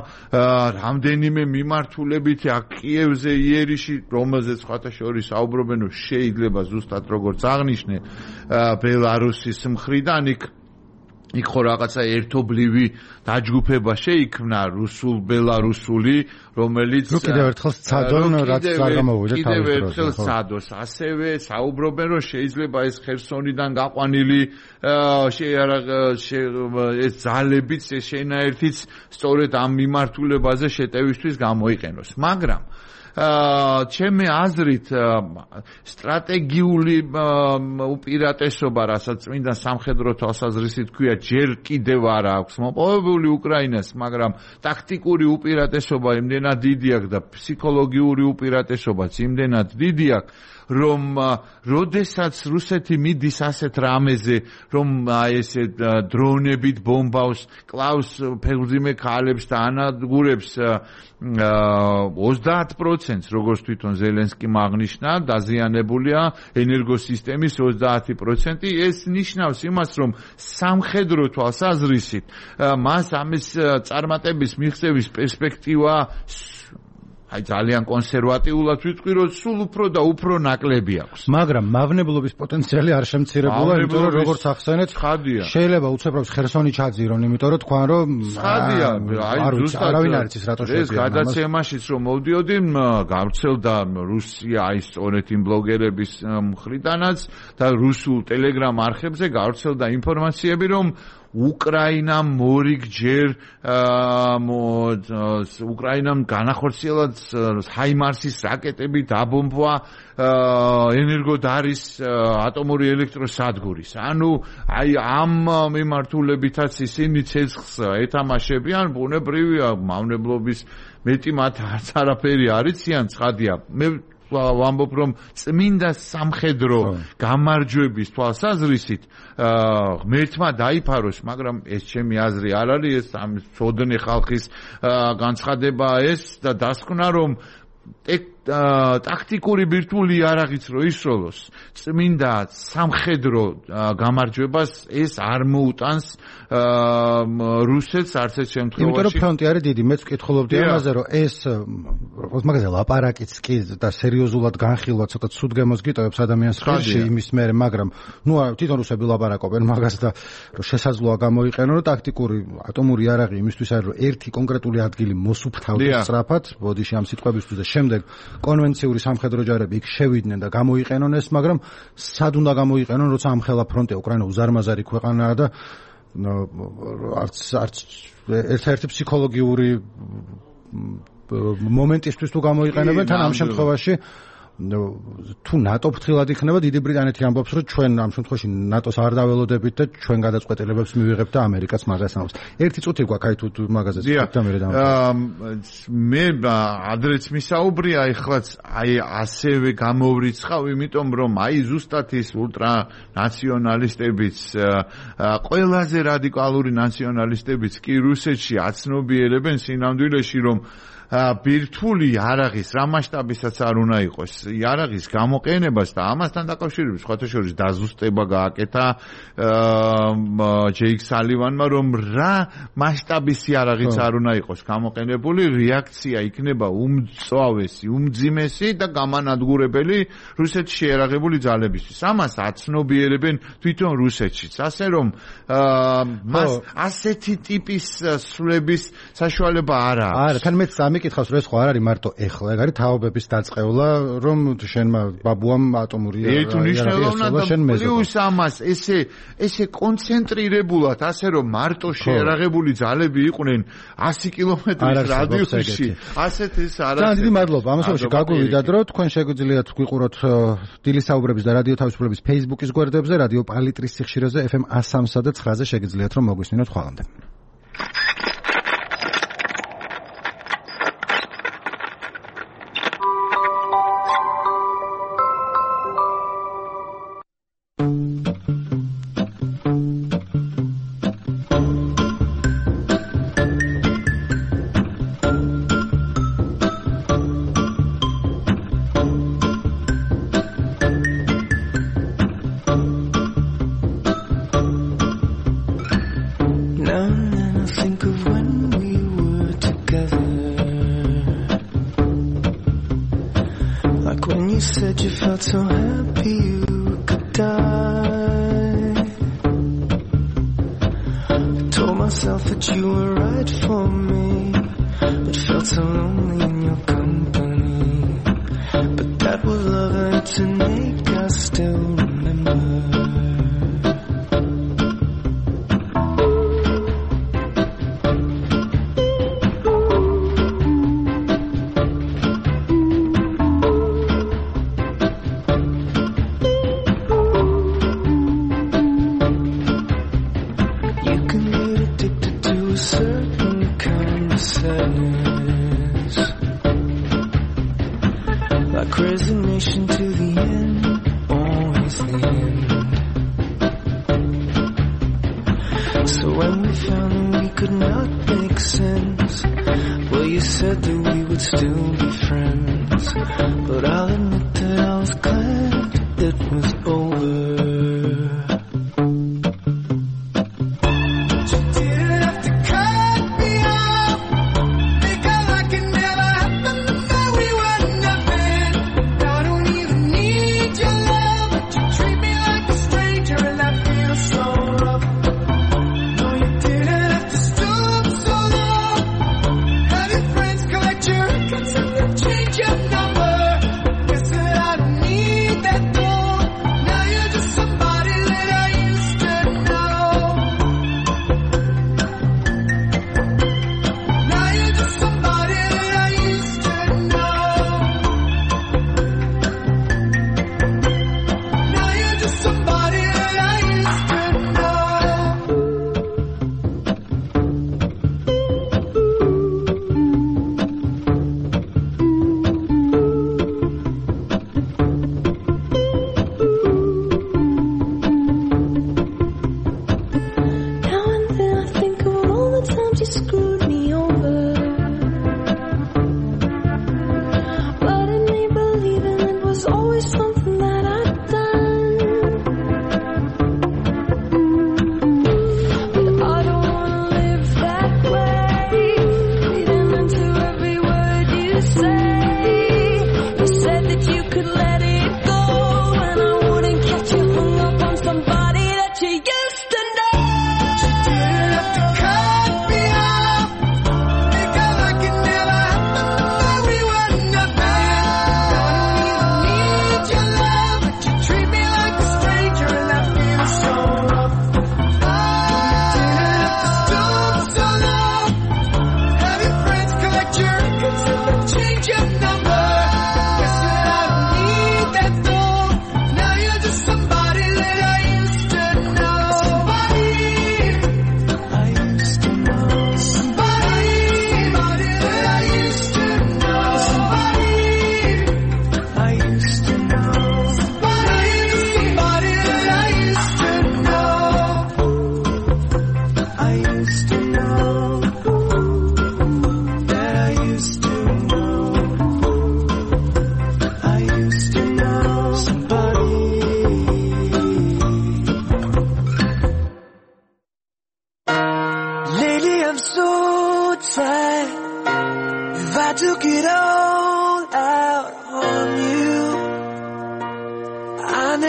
რამდენიმე მიმართულებით აქ კიევზე, იერიში, რომელზეც სხვათა შორის საუბრობენ, რომ შეიძლება ზუსტად როგორც აღნიშნე ბელარუსის მხრიდან იქ იქ ხო რაღაცა ერთობლივი დაჯგუფება შეიქმნა რუსულ-ბელარუსული, რომელიც კიდევ ერთხელ სცადონ, რაც არ გამოვიდა თავის კიდევ ერთხელ სცადოს. ასევე საუბრობენ, რომ შეიძლება ეს ხერსონიდან გაყვანილი ეს ძალებიც, ეს შენაერთიც სწორედ ამ მიმართულებაზე შეტევისთვის გამოიყენოს. მაგრამ ჩემი აზრით სტრატეგიული უპირატესობა, რასაც წმინდა სამხედრო თვალსაზრისით ქვია, ჯერ კიდევ არ აქვს მოპოვებული უკრაინას, მაგრამ ტაქტიკური უპირატესობა იმდენად დიდი აქვს და ფსიქოლოგიური უპირატესობაც იმდენად დიდი აქვს, რომ როდესაც რუსეთი მიდის ასეთ რამეზე, რომ ესე დრონებით ბომბავს, კლავს ფეხმძიმე ქალებს და ანადგურებს ოცდაათ პროცენტს, როგორც თვითონ ზელენსკიმ აღნიშნა, დაზიანებულია ენერგოსისტემის ოცდაათი პროცენტი. ეს ნიშნავს იმას, რომ სამხედრო თვალსაზრისით მას ამის წარმატების მიღწევის პერსპექტივა აი ძალიან კონსერვატიულად ვიტყვი, რომ სულ უფრო და უფრო ნაკლები აქვს. მაგრამ მავნებლობის პოტენციალი არ შემცირებულა, იმიტომ რომ როგორც ახსენეთ, შეიძლება უცებრავს ხერსონი ჩაძირონ, იმიტომ რომ თქვენ რომ ხადია, აი ზუსტად არავინ არ იცის რატო შეგვიძლია. ეს გადაცემაშიც რომ მოვდიოდი, გავრცელდა რუსია აი სწორედ იმ ბლოგერების მხრიდანაც და რუსულ ტელეგრამ არხებზე გავრცელდა ინფორმაციები, რომ უკრაინამ მორიგჯერ უკრაინამ განახორციელა ჰაიმარსის რაკეტები დაბომბვა ენერგოდარის ატომური ელექტროსადგურის. ანუ აი ამ მიმართულებითაც ისინი ცეცხლს ეთამაშებიან, ბუნებრივია მავნებლობის მეტი მათ არც არაფერი არ იციან, ცხადია. მე ვამბობ რომ წმინდა სამხედრო გამარჯვების თვალსაზრისით ღმერთმა დაიფაროს, მაგრამ ეს ჩემი აზრი არ არის, ეს ამ სოდნე ხალხის განცხადება ეს და დასკვნა რომ ტაქტიკური ბირთვული იარაღიც რო ისროლოს, წმინდა სამხედრო გამარჯვებას ეს არ მოუტანს რუსეთს არც ერთ შემთხვევაში. იმიტომ რომ ფრონტი არის დიდი, მეც ვკითხულობდი ამაზე, რომ ეს როგორც მაგაზე ლაპარაკიც კი და სერიოზულად განხილვა ცოტა ცუდ გემოს გიტოვებს ადამიანს ხელში იმის მერე, მაგრამ ნუ თვითონ რუსები ლაპარაკობენ მაგას და რომ შესაძლოა გამოიყენონ, რომ ტაქტიკური ატომური იარაღი იმისთვის არის, რომ ერთი კონკრეტული ადგილი მოსუფთავდეს სწრაფად, ბოდიში ამ სიტყვებისთვის და შემდეგ კონვენციური სამხედრო ჯარები იქ შევიდნენ და გამოიყენონ ეს, მაგრამ სად უნდა გამოიყენონ, როცა ამ ხელა ფრონტი უკრაინა უზარმაზარი ქვეყანაა და არც არც ერთ-ერთი ფსიქოლოგიური მომენტისთვის თუ გამოიყენებენ, თან ამ შემთხვევაში თუ ნატო ფრთხილად იქნება, დიდი ბრიტანეთი ამბობს, რომ ჩვენ ამ შემთხვევაში ნატოს არ დაველოდებით და ჩვენ გადაწყვეტილებებს მივიღებთ და ამერიკაც მაგას ამბობს. ერთი წუთი გვაქვს, აი თუ მაგაზე ვთქვით და მე დავამბობ. მე ადრეც მისაუბრია, ეხლაც აი ასევე გამოვრიცხავ, იმიტომ რომ აი ზუსტად ის ულტრანაციონალისტებიც, ყველაზე რადიკალური ნაციონალისტებიც კი რუსეთში აცნობიერებენ სინამდვილეში, რომ ბირთვული იარაღის რა მასშტაბისაც არ უნდა იყოს, იარაღის გამოყენებას და ამასთან დაკავშირებით სხვათა შორის დაზუსტება გააკეთა ჯეიკ სალივანმა, რომ რა მასშტაბის იარაღიც არ უნდა იყოს გამოყენებული, რეაქცია იქნება უმწვავესი, უმძიმესი და გამანადგურებელი რუსეთში შეერაღებული ძალებისთვის. ამას აცნობიერებენ თვითონ რუსეთშიც, ასე რომ მას ასეთი ტიპის სვლების საშუალება არ აქვს. არა, თან მეც ამიკითხავს, რომ ეს ხო არ არის მარტო ეხლა, ეგ არის თაობების დაწყევლა, რომ შენმა ბაბუამ ატომური იარაღი ესწავლა, შენ მეზობ. პლუს ამას ესე ესე კონცენტრირებულად, ასე რომ მარტო შეერაღებული ძალები იყვნენ ასი კილომეტრის რადიუსში, ასეთ ეს არ არის. ძალიან დიდი მადლობა. ამასობაში გაგვივიდათ, რომ თქვენ შეგვიძლიათ გვიყუროთ დილის საუბრების და რადიო თავისუფლების Facebook-ის გვერდებზე, რადიო პალიტრის სიხშირეზე ეფ ემ one oh three და nine-ზე შეგიძლიათ რომ მოგვისმინოთ ხვალამდე.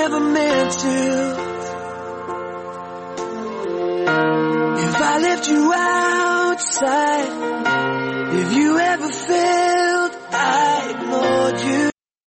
never meant to.